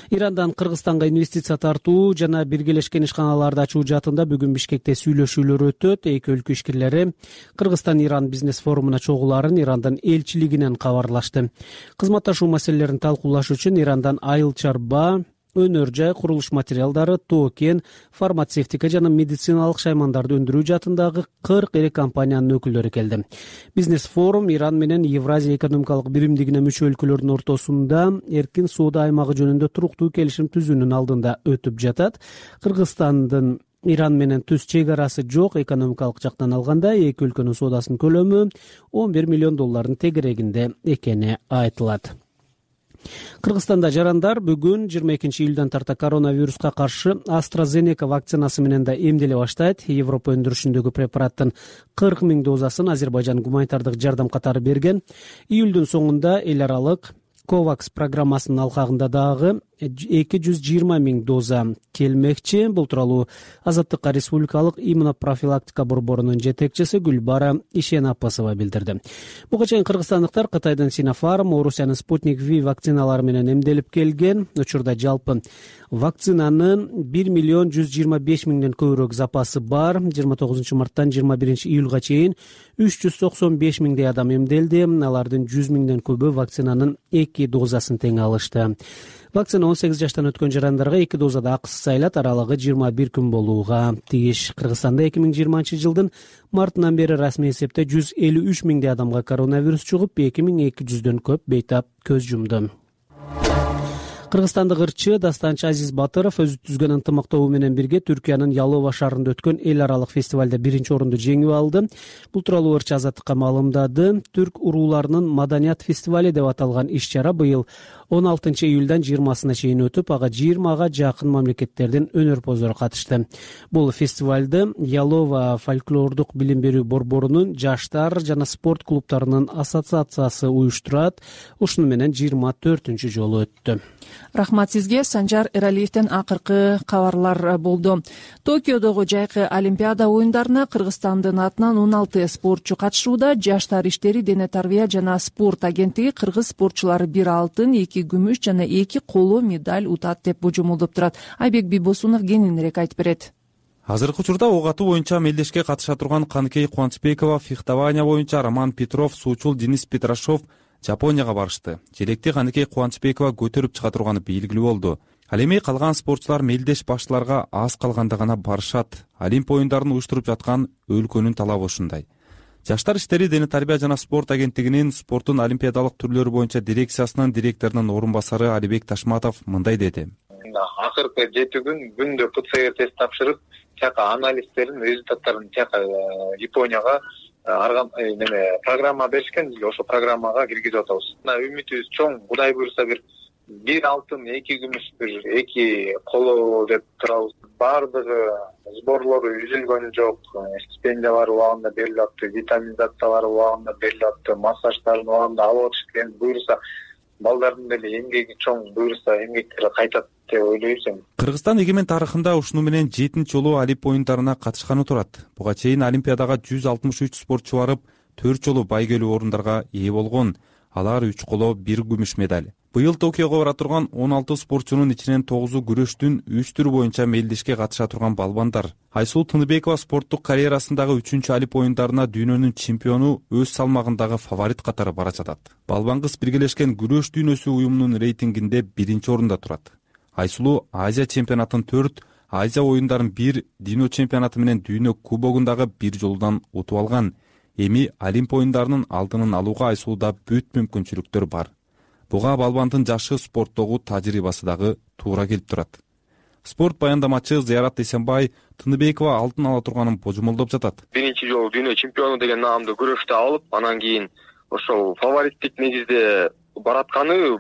Ирандан Кыргызстанга инвестиция тартуу жана Биргелешкен ишканаларды ачуу жаатында бүгүн Бишкекте сүйлөшүүлөр өтөт. Эки өлкө ишкерлери Кыргызстан-Иран бизнес форумуна чогулаарын Ирандын элчилигинен кабарлашты. Кызматташуу маселелерин талкуулаш үчүн Ирандан айыл чарба, өнөр жай, курулуш материалдары, токен, фармацевтика жана медициналык шаймандарды өндүрүү жаатындагы 40 ири компаниянын өкүлдөрү келди. Бизнес форум Иран менен Евразия экономикалык биримдигине мүчө өлкөлөрдүн ортосунда эркин соода аймагы жөнүндө туруктуу келишим түзүүнүн алдында өтүп жатат. Кыргызстандын Иран менен түз чек арасы жок. Экономикалык жактан алганда эки өлкөнүн соодасынын көлөмү $11 миллион тегерегинде экени айтылат. Кыргызстанда жарандар бүгүн 22 июлдан тарта коронавируска каршы AstraZeneca вакцинасы менен да эмделе баштайт. Европа өндүрүшүндөгү препараттын 40 000 дозасын Азербайжан гуманитардык жардам катары берген. Июлдун соңунда эл аралык COVAX программасынын алкагында дагы 220 000 доза келмекчи. Бул тууралуу Азаттыкка Республикалык иммунопрофилактика борборунун жетекчиси Гүлбара Ишенапасова билдирди. Буга чейин кыргызстандыктар Кытайдын Sinopharm, Орусиянын Sputnik V вакциналары менен эмделип келген. Учурда жалпы вакцинанын 1 125 000ден көбүрөөк запасы бар. 29 марттан 21 июлга чейин 395 000дей адам эмделди. Алардын 100 000ден көбү вакцинанын 2 дозасын тең алышты. Вакцина 18 жаштан өткөн жарандарга 2 дозада акысыз айлат, аралыгы 21 күн болууга тийиш. Кыргызстанда 2020 жылдын мартынан бери расмий эсепте 153 000 адамга коронавирус чугуп, 2200дөн көп бейтап көз жумду. Кыргызстандык ырчы Дастанчы Азиз Батыров өзү түзгөн ынтымактообу менен бирге Түркиянын Ялова шаарында өткөн эл аралык фестивалда 1-орунду жеңип алды. Бул тууралуу ырчы Азаттыкка маалымдады. Түрк урууларынын маданият фестивали деп аталган иш-чара быйыл 16 июлдан 20-сына чейин өтүп, ага 20га жакын мамлекеттердин өнөрпоздору катышты. Бул фестивалды Ялова фольклордук билим берүү борборунун жаштар жана спорт клубтарынын ассоциациясы уюштурат. Ушуну менен 24-ч жолу өттү. Рахмат сизге. Санжар Эралиевден акыркы кабарлар болду. Токиодогу жайкы Олимпиада оюндарына Кыргызстандын атынан 16 спортчу катышууда. Жаштар иштери, дене тарбия жана спорт агенттиги кыргыз спортчулары 1 алтын, 2 күмүш жана 2 коло медаль утат деп божомолдоп турат. Айбек Бибосунов кененирээк айтып берет. Азыркы учурда ок атуу боюнча мелдешке катыша турган Каныкей Кубанычбекова, фехтование боюнча Роман Петров, суучул Денис Петрашов Жапонияга барышты. Желекти Каныкей Кубанычбекова көтөрүп чыга турганы белгилүү болду. Ал эми калган спортчулар мелдеш башчыларга аз калганда гана барышат. Олимп оюндарын уюштуруп жаткан өлкөнүн талабы ушундай. Жаштар иштери, дене тарбия жана спорт агенттигинин спорттун олимпиадалык түрлөрү боюнча дирекциясынын директорунун орун басары Алибек Ташматов мындай деди. Акыркы 7 күндө ПЦР тест тапшырып, тияка анализдерин, результаттарын тияка Японияга программа беришкен, ошо программага киргизип атабыз. Үмүтүбүз чоң, Кудай буйруса бир алтын, 2 күмүш, 2 коло деп турабыз. Бардыгы сборлору үзүлгөн жок, стипендиялар убагында берилип атты, витаминизациялар убагында берилип атты, массаждарын убагында алып атышты. Буйруса балдардын деле эмгеги чоң, буйруса эмгектери кайтат деп ойлойбуз. Кыргызстан эгемен тарыхында ушуну менен 7 жолу Олимп оюндарына катышканы турат. Буга чейин Олимпиадага 163 спортчу барып, 4 жолу байгөлүү орундарга ээ болгон. Алар 3 коло, 1 күмүш медаль. Быйыл Токиого бара турган 16 спортчунун ичинен 9-у күрөштүн 3 түрү боюнча мелдешке катыша турган балбандар. Айсулуу Тыныбекова спорттук карьерасындагы 3-чү Олимп оюндарына дүйнөнүн чемпиону, өз салмагындагы фаворит катары бара жатат. Балбан кыз биргелешкен күрөш дүйнөсү уюмунун рейтингинде 1-орунда турат. Айсулуу Азия чемпионатын 4, Азия оюндарын 1, дүйнө чемпионаты менен дүйнө кубогундагы 1 жолудан утуп алган. Эми Олимп оюндарынын алдынын алууга Айсулууда бүт мүмкүнчүлүктөр бар. Буга балбандын жашы, спорттогу тажрыйбасы дагы туура келип турат. Спорт баяндамачы Зыярат Эсенбай Тыныбекова алтын ала турганын божомолдоп жатат. 1-жолу дүйнө чемпиону деген наамды күрөштө алып, анан кийин ошол фавориттик негизде баратканы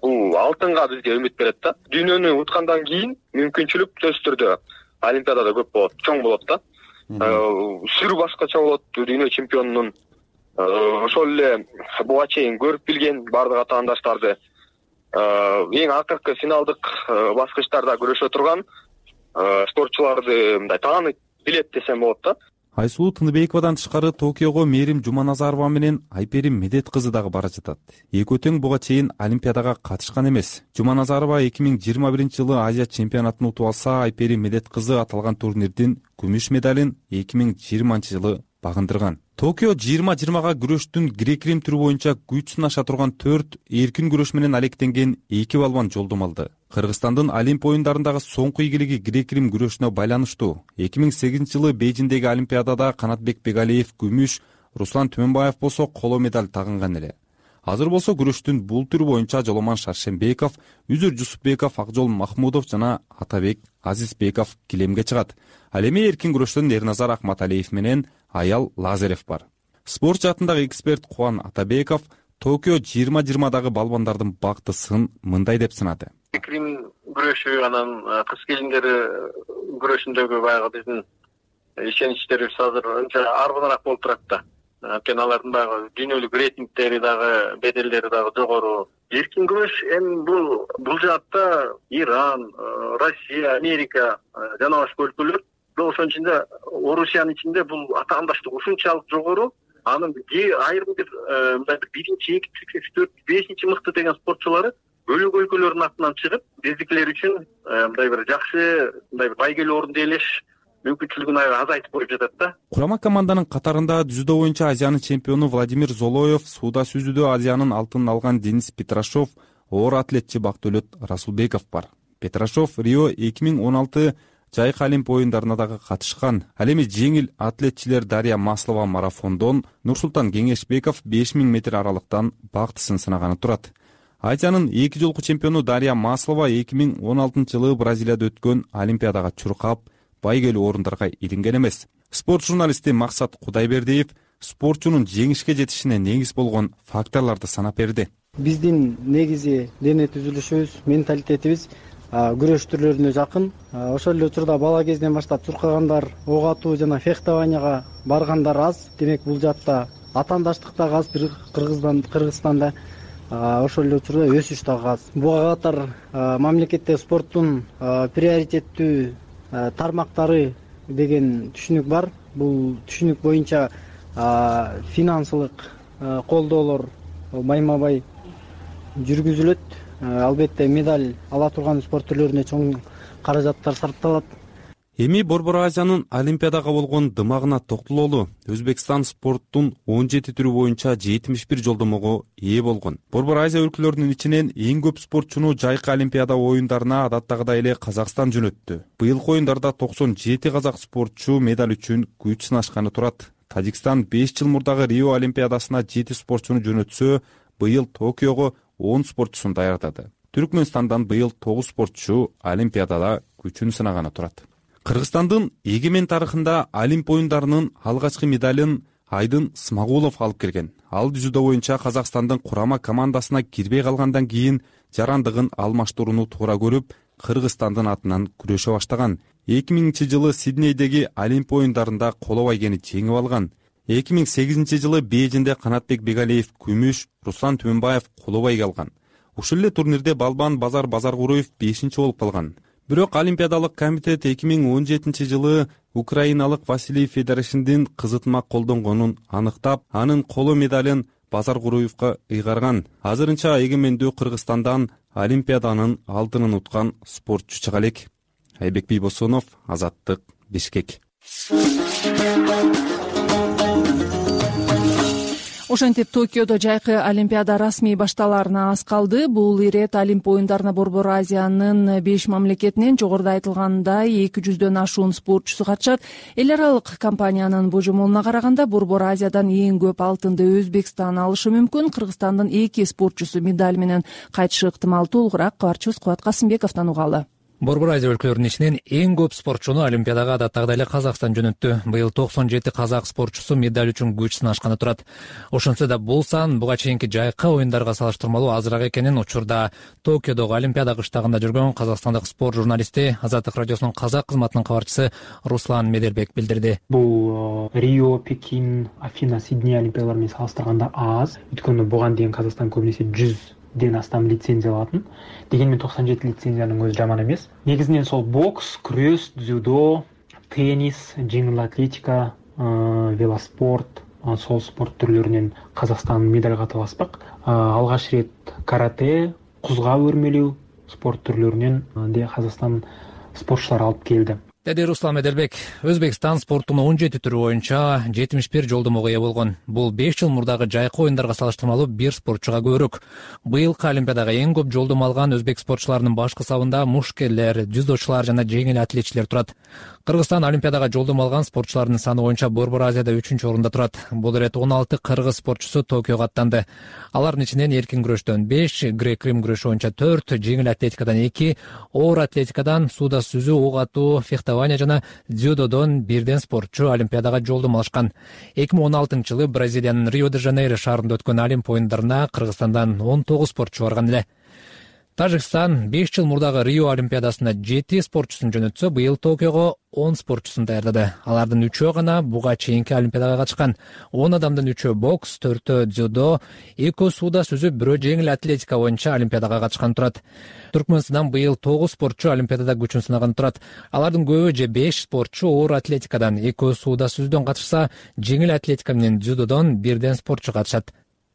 бул алтынга бизге үмүт берет да. Дүйнөнү уткандан кийин мүмкүнчүлүк сөзсүз түрдө Олимпиадада көп болот, чоң болот да. Сүрү башкача болот дүйнө чемпионунун. Ошол эле буга чейин көрүп билген бардык атаандаштарды эң акыркы финалдык баскычтарда күрөшө турган спортчуларды мындай таанып билет десем болот да. Айсулуу Тыныбековадан тышкары Токиого Мээрим Жуманазарова менен Айперим Медет кызы дагы бара жатат. Экөө тең буга чейин Олимпиадага катышкан эмес. Жуманазарова 2021 жылы Азия чемпионатын утуп алса, Айперим Медет кызы аталган турнирдин күмүш медалин 2020 жылы багындырган. Токио 20-20га күрөштүн грек-рим түрү боюнча күч сынаша турган 4 эркин күрөш менен алектенген 2 балбан жолдомо алды. Кыргызстандын Олимп оюндарындагы соңку ийгилиги грек-рим күрөшүнө байланыштуу. 2008 жылы Бейжиңдеги Олимпиадада Канатбек Бегалиев күмүш, Руслан Түмөнбаев болсо коло медаль тагынган эле. Азыр болсо күрөштүн бул түрү боюнча Жоломан Шаршембеков, Үзүр Жусупбеков, Акжол Махмудов жана Атабек Азизбеков килемге чыгат. Ал эми эркин күрөштөн Эрназар Акматалиев менен Аял Лазарев бар. Спорт жаатындагы эксперт Кубан Атабеков Токио 2020дагы балбандардын бактысын мындай деп сынады. Крим күрөшү анан кыз келиндери күрөшүндөгү баягы биздин ишеничтерибиз азыр анча аргыныраак болуп турат да. Анткени алардын баягы дүйнөлүк рейтингдери дагы, беделдери дагы жогору. Эркин күрөш эми бул жаатта Иран, Россия, Америка жана башка өлкөлөр, ошонун ичинде Орусиянын ичинде бул атаандаштык ушунчалык жогору. Анын айрым бир мындай биринчи, экинчи, үчүнчү, төртүнчү, бешинчи мыкты деген спортчулары бөлөк өлкөлөрдүн атынан чыгып, биздикилер үчүн мындай бир жакшы, мындай бир байгелүү орунду ээлеш мүмкүнчүлүгүн азайтып коюп жатат да. Курама команданын катарында дзюдо боюнча Азиянын чемпиону Владимир Золоев, сууда сүзүүдө Азиянын алтынын алган Денис Петрашов, оор атлетчи Бактөлөт Расулбеков бар. Петрашов Рио 2016 жайкы олимп оюндарына дагы катышкан. Ал эми жеңил атлетчилер Дарья Маслова марафондон, Нурсултан Кеңешбеков 5000 метр аралыктан бактысын сынаганы турат. Азиянын 2 жолку чемпиону Дарья Маслова 2016-жылы Бразилияда өткөн олимпиадага чуркап, байгелүү орундарга илинген эмес. Спорт журналисти Максат Кудайбердиев спортчунун жеңишке жетишине негиз болгон факторлорду санап берди. Биздин негизи дене түзүлүшүбүз, менталитетибиз күрөш түрлөрүнө жакын. Ошол эле учурда бала кезинен баштап чуркагандар, ок атуу жана фехтованияга баргандар аз. Демек бул жакта атаандаштык да аз, Кыргызстанда ошол эле учурда өсүш дагы аз. Буга катар мамлекетте спорттун приоритеттүү тармактары деген түшүнүк бар. Бул түшүнүк боюнча финансылык колдоолор майма-бай жүргүзүлөт. Албетте медаль ала турган спорт түрлөрүнө чоң каражаттар сарпталат. Эми Борбор Азиянын олимпиадага болгон дымагына токтололу. Өзбекстан спорттун 17 түрү боюнча 71 жолдомого ээ болгон. Борбор Азия өлкөлөрүнүн ичинен эң көп спортчуну жайкы олимпиада оюндарына адаттагыдай эле Казакстан жөнөттү. Быйылкы оюндарда 97 казак спортчу медаль үчүн күч сынашканы турат. Тажикстан 5 жыл мурдагы Рио олимпиадасына 7 спортчуну жөнөтсө, быйыл Токиого 10 спортчусун даярдады. Түркмөнстандан быйыл 9 спортчу олимпиадада күчүн сынаганы турат. Кыргызстандын эгемен тарыхында олимп оюндарынын алгачкы медалын Айдын Смагулов алып келген. Ал дзюдо боюнча Казакстандын курама командасына кирбей калгандан кийин жарандыгын алмаштырууну туура көрүп, Кыргызстандын атынан күрөшө баштаган. 2000-жылы Сиднейдеги олимп оюндарында коло байгени жеңип алган. 2008-жылы Бейжинде Канатбек Бегалиев күмүш, Руслан Түмөнбаев коло байге алган. Ушул эле турнирде балбан Базар Базаркуроев 5-чи болуп калган. Бирок Олимпиадалык комитет 2017-жылы украиналык Василий Федоровичтин кызытма колдонгонун аныктап, анын коло медалын Базаркуроевго ыйгарган. Азырынча эгемендүү Кыргызстандан Олимпиаданын алтынын уткан спортчу чыга элек. Айбек Бийбосонов, Азаттык, Бишкек. Ошентип Токиодо жайкы олимпиада расмий башталаарына аз калды. Бул ирет олимп оюндарына Борбор Азиянын 5 мамлекетинен жогоруда айтылгандай 200дөн ашуун спортчусу катышат. Эл аралык компаниянын божомолуна караганда Борбор Азиядан эң көп алтынды Өзбекстан алышы мүмкүн. Кыргызстандын 2 спортчусу медаль менен кайтышы ыктымал. Толугураак кабарчыбыз Кубат Касымбековдон угалы. Борбор Азия өлкөлөрүнүн ичинен эң көп спортчуну олимпиадага адаттагыдай эле Казакстан жөнөттү. Быйыл 97 казак спортчусу медаль үчүн күч сынашканы турат. Ошентсе да бул сан буга чейинки жайкы оюндарга салыштырмалуу азыраак экенин учурда Токиодогу олимпиада кыштагында жүргөн казакстандык спорт журналисти, Азаттык радиосунун казак кызматынын кабарчысы Руслан Меделбек билдирди. Бул Рио, Пекин, Афина, Сидней олимпиадалары менен салыштырганда аз. Өткөндө буга дейин Казакстан көбүнесе 100ден астам лицензия алатын. Дегенмен 97 лицензиянын өзү жаман эмес. Негизинен сол бокс, күрөш, дзюдо, теннис, жеңил атлетика, велоспорт, сол спорт түрлөрүнөн Казакстан медаль катып аспак. Алгач ирет карате, кузга өрмөлүү спорт түрлөрүнөн Казакстан спортчулары алып келди. Деди Руслан Меделбек. Өзбекстан спорттунун 17 түрү боюнча 71 жолдомого ээ болгон. Бул 5 жыл мурдагы жайкы оюндарга салыштырмалуу бир спортчуга көбүрөөк. Быйылкы олимпиадага эң көп жолдомо алган өзбек спортчуларынын башкы сабында мушкерлер, дзюдочулар жана жеңил атлетчилер турат. Кыргызстан олимпиадага жолдомо алган спортчулардын саны боюнча Борбор Азияда 3-чү орунда турат. Бул ирет 16 кыргыз спортчусу Токиого аттанды. Алардын ичинен эркин күрөштөн 5, грек-рим күрөшү боюнча 4, жеңил атлетикадан 2, оор атлетикадан сууда сүзүү, ок атуу, фехтование фехтование жана дзюдодон бирден спортчу олимпиадага жолдомо алышкан. 2016-жылы Бразилиянын Рио-де-Жанейро шаарында өткөн Олимп оюндарына Кыргызстандан 19 спортчу барган эле. Тажикстан 5 жыл мурдагы Рио олимпиадасына 7 спортчусун жөнөтсө, быйыл Токиого 10 спортчусун даярдады. Алардын 3-өө гана буга чейинки олимпиадага катышкан. 10 адамдын 3-өө бокс, 4-өө дзюдо, 2-өө сууда сүзүп, 1-өө жеңил атлетика боюнча олимпиадага катышкан турат. Түркмөнстандан быйыл 9 спортчу олимпиадада күчүн сынаган турат. Алардын көбү же 5 спортчу оор атлетикадан, 2-өө сууда сүзүүдөн катышса, жеңил атлетика менен дзюдодон бирден спортчу катышат.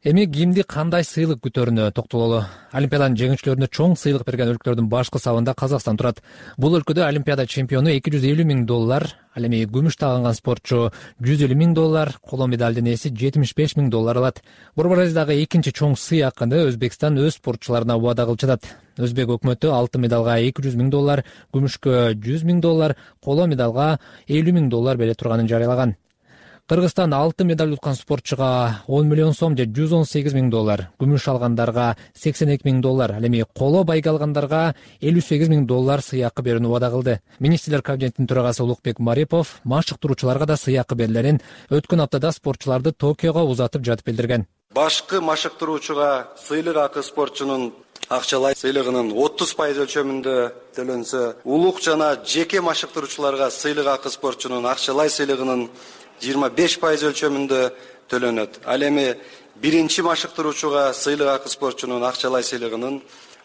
Эми кимди кандай сыйлык күтөрүнө токтололу. Олимпиаданын жеңүүчүлөрүнө чоң сыйлык берген өлкөлөрдүн башкы сабында Казакстан турат. Бул өлкөдө олимпиада чемпиону $250 000, ал эми күмүш тагынган спортчу $150 000, коло медалдын ээси $75 000 алат. Борбор Азиядагы экинчи чоң сыйакыны Өзбекстан өз спортчуларына убада кылып жатат. Өзбек өкмөтү алтын медалга $200 000, күмүшкө $100 000, коло медалга $50 000 бере турганын жарыялаган. Кыргызстан алтын медаль уткан спортчуга $10 миллион же $118 000, күмүш алгандарга $82 000, ал эми коло байга алгандарга $58 000 сыйакы берүүнү убада кылды. Министрлер кабинетинин төрагасы Улукбек Марипов машыктыруучуларга да сыйакы берилерин өткөн аптада спортчуларды Токиого узатып жатып билдирген. Башкы машыктыруучуга сыйлык акы спортчунун акчалай сыйлыгынын 30% өлчөмүндө төлөнсө, улук жана жеке машыктыруучуларга сыйлык акы спортчунун акчалай сыйлыгынын 25% өлчөмүндө төлөнөт. Ал эми биринчи машыктыруучуга сыйлык акы спортчунун акчалай сыйлыгынын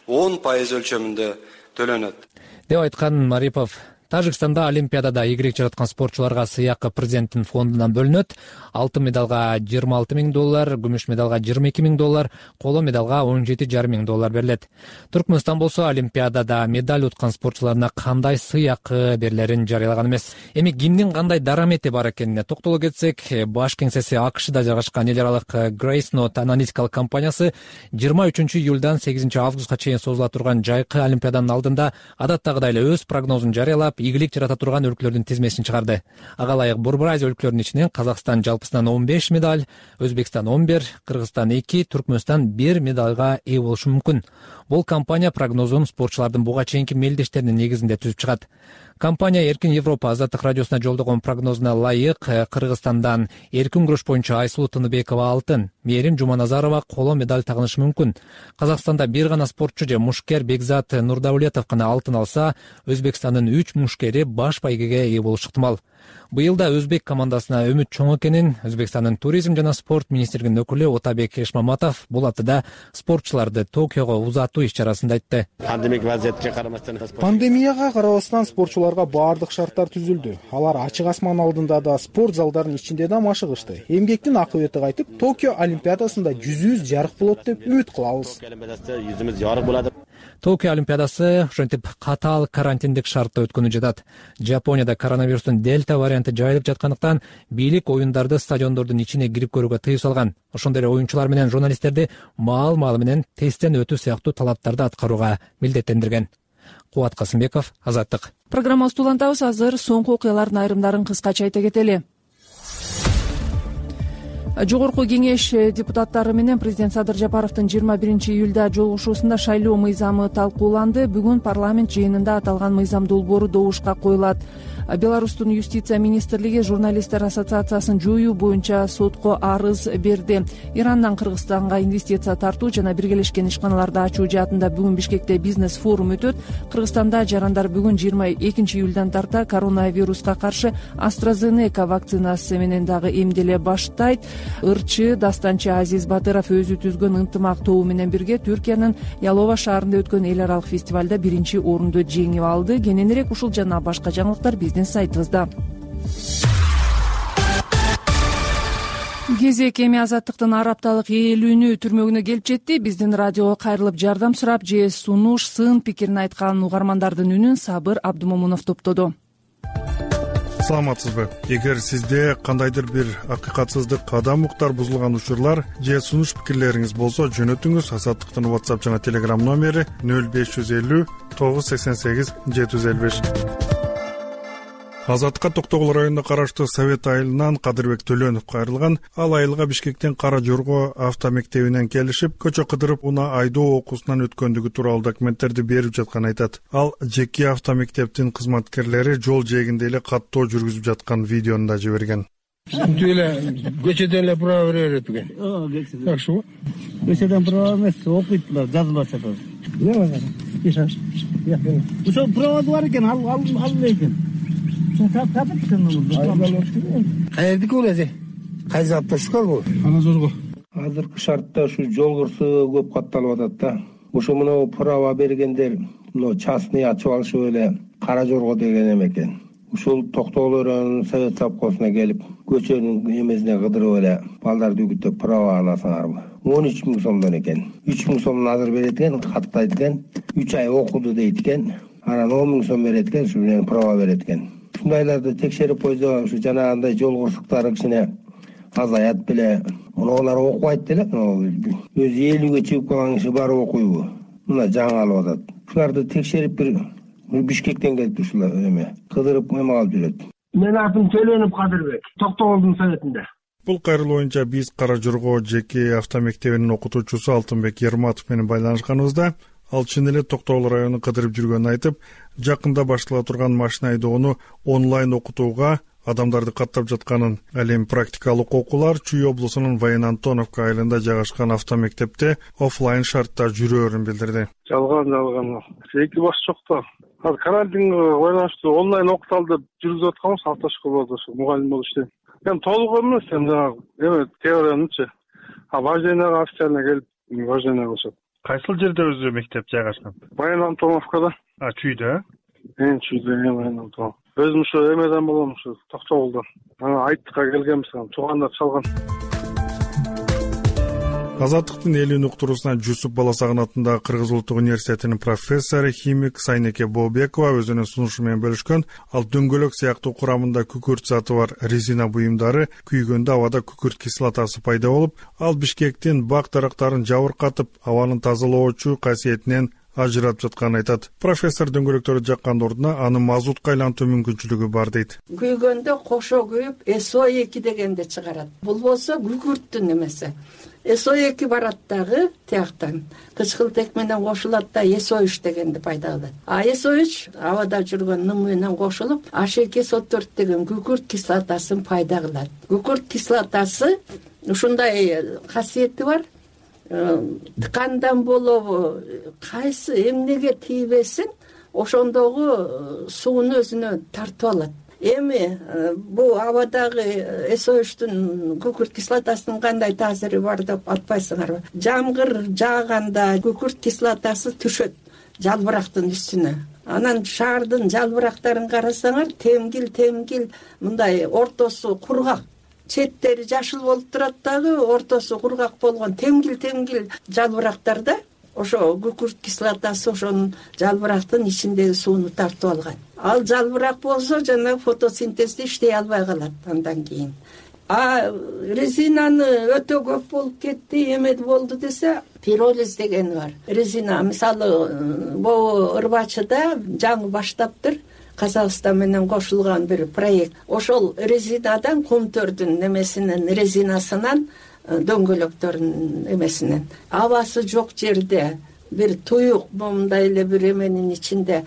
10% өлчөмүндө төлөнөт, деп айткан Марипов. Тажикстанда олимпиадада ийгилик жараткан спортчуларга сыйакы президенттин фондунан бөлүнөт. Алтын медалга $26 000, күмүш медалга $22 000, коло медалга $17,5 000 берилет. Түркмөнстан болсо олимпиадада медаль уткан спортчуларына кандай сыйакы берилерин жарыялаган эмес. Эми кимдин кандай дарамети бар экенине токтоло кетсек, баш кеңсеси АКШда жайгашкан эл аралык Grace Note аналитикалык компаниясы 23 июлдан 8 августка чейин созула турган жайкы олимпиаданын алдында адаттагыдай эле өз прогнозун жарыялап, ийгилик жарата турган өлкөлөрдүн тизмесин чыгарды. Ага ылайык Борбор Азия өлкөлөрүнүн ичинен Казакстан жалпысынан 15 медаль, Өзбекстан 11, Кыргызстан 2, Түркмөнстан 1 медальга ээ болушу мүмкүн. Бул компания прогнозун спортчулардын буга чейинки мелдештеринин негизинде түзүп чыгат. Компания Эркин Европа Азаттык радиосуна жолдогон прогнозуна ылайык Кыргызстандан эркин күрөш боюнча Айсулуу Тыныбекова алтын, Мээрим Жуманазарова коло медаль тагынышы мүмкүн. Казакстанда бир гана спортчу же мушкер Бекзат Нурдаулетов гана алтын алса, Өзбекстандын 3 мушкери баш байгеге ээ болушу ыктымал. Быйыл да өзбек командасына үмүт чоң экенин Өзбекстандын туризм жана спорт министрлигинин өкүлү Отабек Эшмаматов бул аптада спортчуларды Токиого узатуу иш-чарасында айтты. Пандемияга карабастан спортчуларга баардык шарттар түзүлдү. Алар ачык асман алдында да, спорт залдарынын ичинде да машыгышты. Эмгектин акыбети кайтып, Токио олимпиадасында жүзүбүз жарык болот деп үмүт кылабыз. Токио олимпиадасы ошентип катаал карантиндик шартта өткөнү жатат. Жапонияда коронавирустун дельта варианты жайылып жаткандыктан бийлик оюндарды стадиондордун ичине кирип көрүүгө тыюу салган. Ошондой эле оюнчулар менен журналисттерди маал-маалы менен тесттен өтүү сыяктуу талаптарды аткарууга милдеттендирген. Кубат Касымбеков, Азаттык. Программабызды улантабыз. Азыр соңку окуялардын айрымдарын кыскача айта кетели. Жогорку кеңеш депутаттары менен президент Садыр Жапаровдун 21 июлда жолугушуусунда шайлоо мыйзамы талкууланды. Бүгүн парламент жыйынында аталган мыйзам долбоору добушка коюлат. Беларустун юстиция министрлиги журналисттер ассоциациясын жоюу боюнча сотко арыз берди. Ирандан Кыргызстанга инвестиция тартуу жана биргелешкен ишканаларды ачуу жаатында бүгүн Бишкекте бизнес форум өтөт. Кыргызстанда жарандар бүгүн 22 июлдан тарта коронавируска каршы AstraZeneca вакцинасы менен дагы эмделе баштайт. Ырчы Дастанчы Азиз Батыров өзү түзгөн ынтымак тобу менен бирге Түркиянын Ялова шаарында өткөн эл аралык фестивалда 1-орунду жеңип алды. Кененирээк ушул жана башка жаңылыктар биздин сайтыбызда. Кезек эми Азаттыктын ар апталык ээлүүнү түрмөгүнө келип жетти. Биздин радиого кайрылып жардам сурап же сунуш, сын пикирин айткан угармандардын үнүн Сабыр Абдумомунов топтоду. Саламатсызбы? Эгер сизде кандайдыр бир акыйкатсыздык, адам укуктар бузулган учурлар же сунуш пикирлериңиз болсо, жөнөтүңүз. Азаттыктын WhatsApp жана Telegram номери 0550 988 755. Азаттыкка Токтогул районуна караштуу Совет айылынан Кадырбек Төлөнов кайрылган. Ал айылга Бишкектен Кара Жорго автомектебинен келишип, көчө кыдырып уна айдоо окуусунан өткөндүгү тууралуу документтерди берип жатканын айтат. Ал жеке автомектептин кызматкерлери жол жээгинде эле каттоо жүргүзүп жаткан видеону да жиберген. Тип эле көчөдөн эле права бере берет экен. Такшыбы? Көчөдөн права эмес, окуйт, жазылып жатат. Ошо права бар экен, ал экен. Каердики бул эже? Кайсы автошкол бул? Кара Жорго. Азыркы шартта ушу жол кырсыгы көп катталып атат да. Ушу мына права бергендер мына частный ачып алышып эле Кара Жорго деген эме экен. Ушул Токтогул районунун совет совхозуна келип, көчөнүн эмесине кыдырып эле балдарды үгүттөп права аласыңарбы? 13 000 сомдон экен. 3 000 сомун азыр берет экен, каттайт экен. 3 ай окуду дейт экен. Анан 10 000 сом берет экен, ушу менен права берет экен. Ушундайларды текшерип койсо, ушу жанагындай жол кырсыктары кичине азаят беле. Мунулар окубайт деле, өзү 50ге чыгып калган киши барып окуйбу? Мына жаңы алып атат. Ушуларды текшерип бир Бишкектен келип ушулар эме кыдырып эме алып жүрөт. Мен атым Төлөнов Кадырбек, Токтогулдун советинде. Бул кайрылуу боюнча биз Кара Жорго жеке автомектебинин окутуучусу Алтынбек Ерматов менен байланышканыбызда ал чын эле Токтогул районун кыдырып жүргөнүн айтып, жакында баштала турган машина айдоону онлайн окутууга адамдарды каттап жатканын, ал эми практикалык окуулар Чүй облусунун Вайын Антоновка айылында жайгашкан автомектепте офлайн шартта жүрөөрүн билдирди. Жалган. Эки баш жок да. Азыр карантинге байланыштуу онлайн окуталды жүргүзүп атканбыз, автошколдо ушу мугалим болуп иштейм. Эми толук эмес, эми теориянычы. Вождениеге официально келип, вождение кылышат. Кайсыл жерде өзү мектеп жайгашкан? Вайын Антоновкада. Чүйдө? Чүйдө, Вайын Антонов. Өзүм ушу эмеден болом, ушу Токтогулдан. Айттыкка келгенбиз, туугандар чалган. Азаттыктын элүүнү уктуруусуна Жусуп Баласагын атындагы Кыргыз улуттук университетинин профессору, химик Сайнеке Бообекова өзүнүн сунушу менен бөлүшкөн. Ал дөңгөлөк сыяктуу курамында күкүрт заты бар резина буюмдары күйгөндө абада күкүрт кислотасы пайда болуп, ал Бишкектин бак дарактарын жабыркатып, абанын тазалоочу касиетинен ажыратып жатканын айтат. Профессор дөңгөлөктөрдү жаккан ордуна аны мазутка айлантуу мүмкүнчүлүгү бар дейт. Күйгөндө кошо күйүп SO2 дегенди чыгарат. Бул болсо күкүрттүн эмеси. SO2 барат дагы тияктан. Кычкылтек менен кошулат да SO3 дегенди пайда кылат. SO3 абада жүргөн ным менен кошулуп, H2SO4 деген күкүрт кислотасын пайда кылат. Күкүрт кислотасы ушундай касиети бар. Ткандан болобу, кайсы эмнеге тийбесин, ошондогу сууну өзүнө тартып алат. Эми бул абадагы SO3-тун күкүрт кислотасынын кандай таасири бар деп атпайсыңарбы? Жамгыр жааганда күкүрт кислотасы түшөт жалбырактын үстүнө. Анан шаардын жалбырактарын карасаңар, темгил мындай ортосу кургак. Четтери жашыл болуп турат дагы, ортосу кургак болгон темгил жалбырактарда ошо күкүрт кислотасы ошонун жалбырактын ичиндеги сууну тартып алган. Ал жалбырак болсо жана фотосинтезди иштей албай калат андан кийин. Резинаны өтө көп болуп кетти, эме болду десе, пиролиз деген бар. Резина, мисалы, бул Ырбачыда жаңы баштаптыр. Казакстан менен кошулган бир проект. Ошол резинадан кумтөрдүн эмесинен, резинасынан, дөңгөлөктөрүнүн эмесинен. Абасы жок жерде бир туюк момундай эле бир эменин ичинде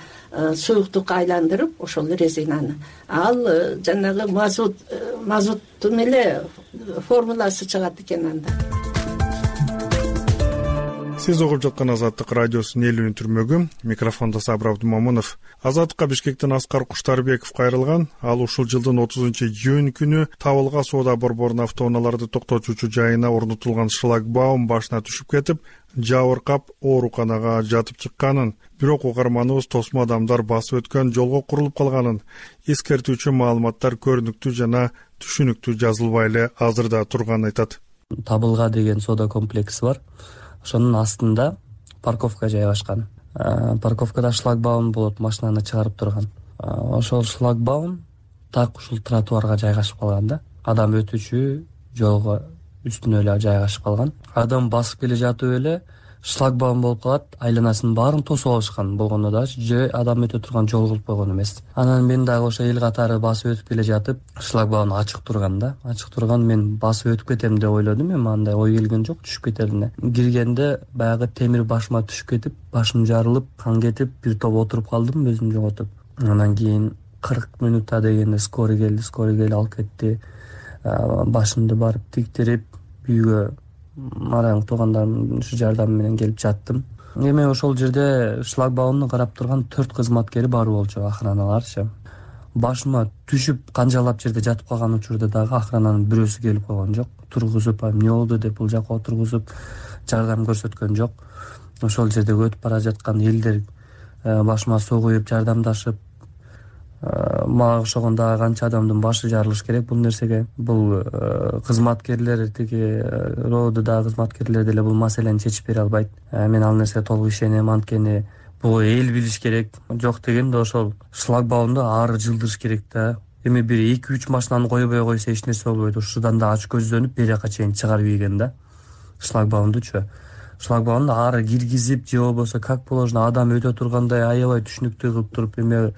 суюктук айландырып, ошол резинаны. Ал жанагы мазуттун эле формуласы чыгат экен анда. Сиз угуп жаткан Азаттык радиосунун элүүнү түрмөгү. Микрофондо Сабыр Абдумамунов. Азаттыкка Бишкектен Аскар Куштарбеков кайрылган. Ал ушул жылдын 30-июнь күнү Табылга соода борборунун автоунааларды токтотуучу жайына орнотулган шлагбаум башына түшүп кетип, жабыркап ооруканага жатып чыкканын, бирок угарманыбыз тосмо адамдар басып өткөн жолго курулуп калганын, эскертүүчү маалыматтар көрүнүктүү жана түшүнүктүү жазылбай эле азырда турганын айтат. Табылга деген соода комплекси бар. Ошонун астында парковка жайгашкан. Парковкада шлагбаум болот, машинаны чыгарып турган. Ошол шлагбаум так ушул тротуарга жайгашып калган да. Адам өтүүчү жолго үстүнө эле жайгашып калган. Адам басып келе жатып эле шлагбаум болуп калат, айланасынын баарын тосуп алышкан болгондо дагы же адам өтө турган жол кылып койгон эмес. Анан мен дагы ошо эл катары басып өтүп келе жатып, шлагбаум ачык турган, мен басып өтүп кетем деп ойлодум. Эми андай ой келген жок түшүп кетерине. Киргенде баягы темир башыма түшүп кетип, башым жарылып, кан кетип, бир топ отуруп калдым, өзүмдү жоготуп. Андан кийин 40 минутта дегенде скорый келип алып кетти. Башымды барып тиктирип, үйгө марайым туугандарымдын жардамы менен келип жаттым. Эми ошол жерде шлагбаумду карап турган 4 кызматкери бар болчу, охраналарчы. Башыма түшүп канжалап жерде жатып калган учурда дагы охрананын бирөөсү келип койгон жок. Тургузуп, эмне болду деп бул жака отургузуп жардам көрсөткөн жок. Ошол жерде өтүп бара жаткан элдер башыма суу куюп жардамдашып, мага окшогон дагы канча адамдын башы жарылыш керек бул нерсеге. Бул кызматкерлер, тиги РОДдагы кызматкерлер деле бул маселени чечип бере албайт. Мен ал нерсеге толук ишенем, анткени бул эл билиш керек. Жок дегенде ошол шлагбаумду ары жылдырыш керек да. Эми бир 2-3 машинаны койбой койсо эч нерсе болбойт. Ушудан да ач көздөнүп бери жака чейин чыгарып ийген да. Шлагбаумду ары киргизип же болбосо как положено адам өтө тургандай аябай түшүнүктүү кылып туруп эме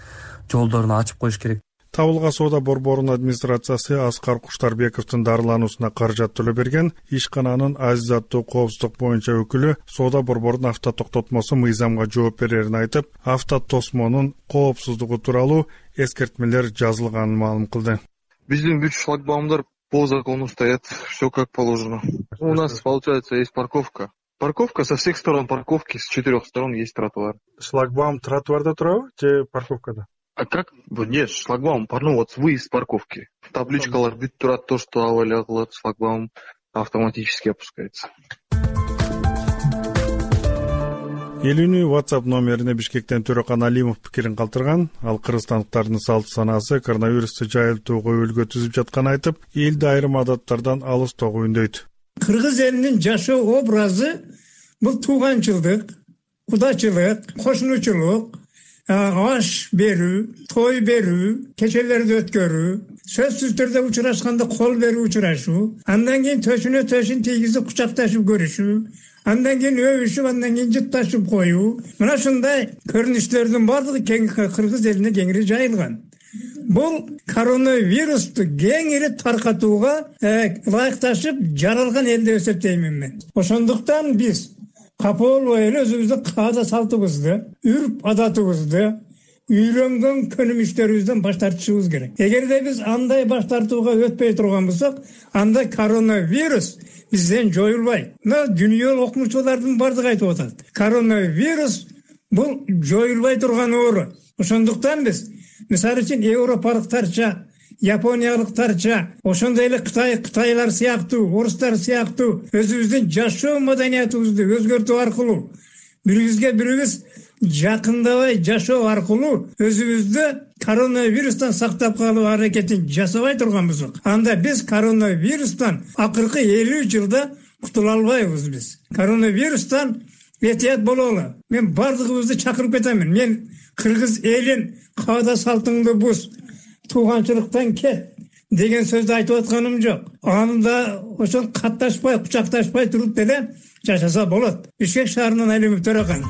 жолдорун ачып коюш керек. Табылга соода борборунун администрациясы Аскар Куштарбековдун дарылануусуна каражат төлөп берген ишкананын азизаттуу коопсуздук боюнча өкүлү соода борборунун автотоктотмосу мыйзамга жооп берерин айтып, автотосмонун коопсуздугу тууралуу эскертмелер жазылганын маалым кылды. Биздин бүт шлагбаумдар по закону стоят, все как положено. У нас, получается, есть парковка. Парковка со всех сторон парковки, с 4 сторон есть тротуар. Шлагбаум тротуарда турабы же парковкада? А как? Нет, шлагбаум, вот выезд с парковки. Табличкалар бүт турат, то, что авалия кылат, шлагбаум автоматически опускается. Элүүнү WhatsApp номерине Бишкектен Төрөкан Алимов пикирин калтырган. Ал кыргызстандыктардын салт санаасы коронавирусту жайылтууга үлгү түзүп жатканын айтып, элди айрым адаттардан алыстоого үндөйт. Кыргыз элинин жашоо образы бул тууганчылдык, кудачылык, кошунучулук, аш берүү, той берүү, кечелерди өткөрүү, сөзсүз түрдө учурашканда кол берүү учурашуу, андан кийин төшүн тийгизип кучакташып көрүшүү, андан кийин өбүшүп, андан кийин жытташып коюу. Мына ушундай көрүнүштөрдүн баардыгы кыргыз элине кеңири жайылган. Бул коронавирусту кеңири таркатууга ылайыкташып жаралган эл деп эсептеймин мен. Ошондуктан биз капа болбой эле өзүбүздүн каада салтыбызды, үрп адатыбызды, үйлөнгөн көнүмүштөрүбүздөн баш тартышыбыз керек. Эгерде биз андай баш тартууга өтпөй турган болсок, анда коронавирус бизден жоюлбайт. Мына дүйнөлүк окумучулардын бардыгы айтып атат. Коронавирус бул жоюлбай турган оору. Ошондуктан биз мисалы үчүн европалыктарча, япониялыктарча, ошондой эле кытайлар сыяктуу, орустар сыяктуу өзүбүздүн жашоо маданиятыбызды өзгөртүү аркылуу, бирибизге бирибиз жакындабай жашоо аркылуу өзүбүздү коронавирустан сактап калуу аракетин жасабай турган болсок, анда биз коронавирустан акыркы 50 жылда кутула албайбыз биз. Коронавирустан этият бололу. Мен бардыгыбызды чакырып кетемин. Мен кыргыз элин каада салтыңды буз, тууганчылыктан кет деген сөздү айтып атканым жок. Анда ошол катташпай, кучакташпай туруп деле жашаса болот. Бишкек шаарынан Алимов Төрөкан.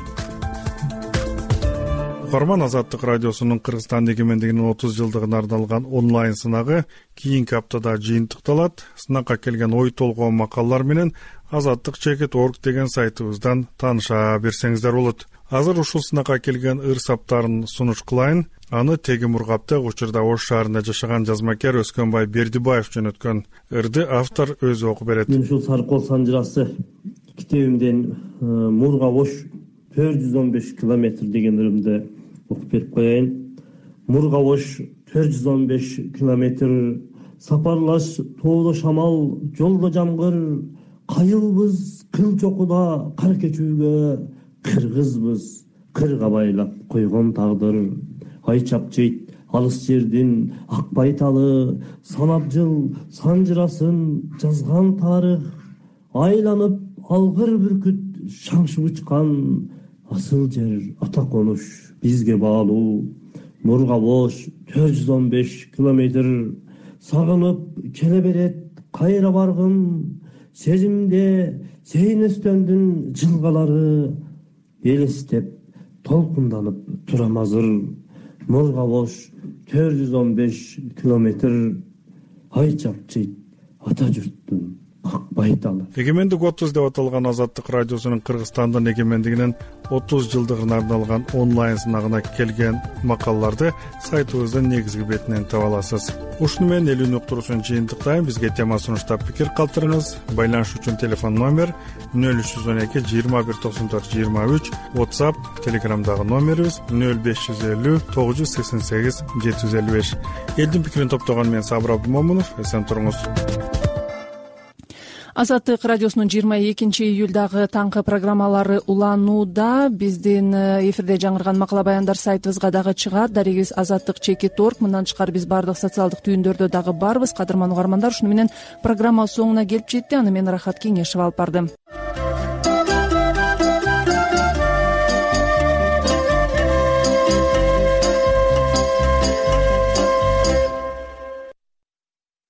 Угарман, Азаттык радиосунун Кыргызстан эгемендигинин 30 жылдыгына арналган онлайн сынагы кийинки аптада жыйынтыкталат. Сынакка келген ой толгоо макалалар менен azattik.org деген сайтыбыздан тааныша берсеңиздер болот. Азыр ушул сынакка келген ыр-саптарын сунуш кылайын. Аны Тегим Ургапта учурда Ош шаарында жашаган жазмакер Өскөнбай Бердибаев жөнөткөн ырды автор өзү окуп берет. Мен ушул Сарыкол санжырасы китебимден Мурга-Ош 415 километр деген ырымды окуп берип коеюн. Мурга-Ош 415 километр, сапарлаш тоодо шамал, жолдо жамгыр, кайылбыз кыл чокуда кар кечүүгө, кыргызбыз кырга байлап койгон тагдыр. Ай чапчыйт алыс жердин ак байталы, санап жыл санжырасын жазган тарых, айланып алгыр бүркүт шаңшып учкан асыл жер ата конуш бизге баалуу. Мурга-Ош 415 километр, сагынып келе берет кайра баргым, сезимде сейнестөндүн жылгалары элестеп толкунданып турам азыр. Мурга бош 415 километр ай чапчыйт ата журттун ак байталы. Эгемендик 30 деп аталган Азаттык радиосунун Кыргызстандын эгемендигинин 30 жылдыгына арналган онлайн сынагына келген макалаларды сайтыбыздын негизги бетинен таба аласыз. Ушуну менен элүүнү уктуруусун жыйынтыктайм. Бизге тема сунуштап пикир калтырыңыз. Байланыш үчүн телефон номер 0312 21 94 23, WhatsApp, Telegramдагы номерибиз 0550 988 755. Элдин пикирин топтогон мен Сабыр Абдымомунов. Эсен туруңуз. Азаттык радиосунун 22 июлдагы таңкы программалары уланууда. Биздин эфирде жаңырган макала баяндар сайтыбызга дагы чыгат. Дарегибиз azattik.org. Мындан тышкары биз баардык социалдык түйүндөрдө дагы барбыз. Кадырман угармандар, ушуну менен программа соңуна келип жетти. Аны мен Рахат Кеңешева алып бардым.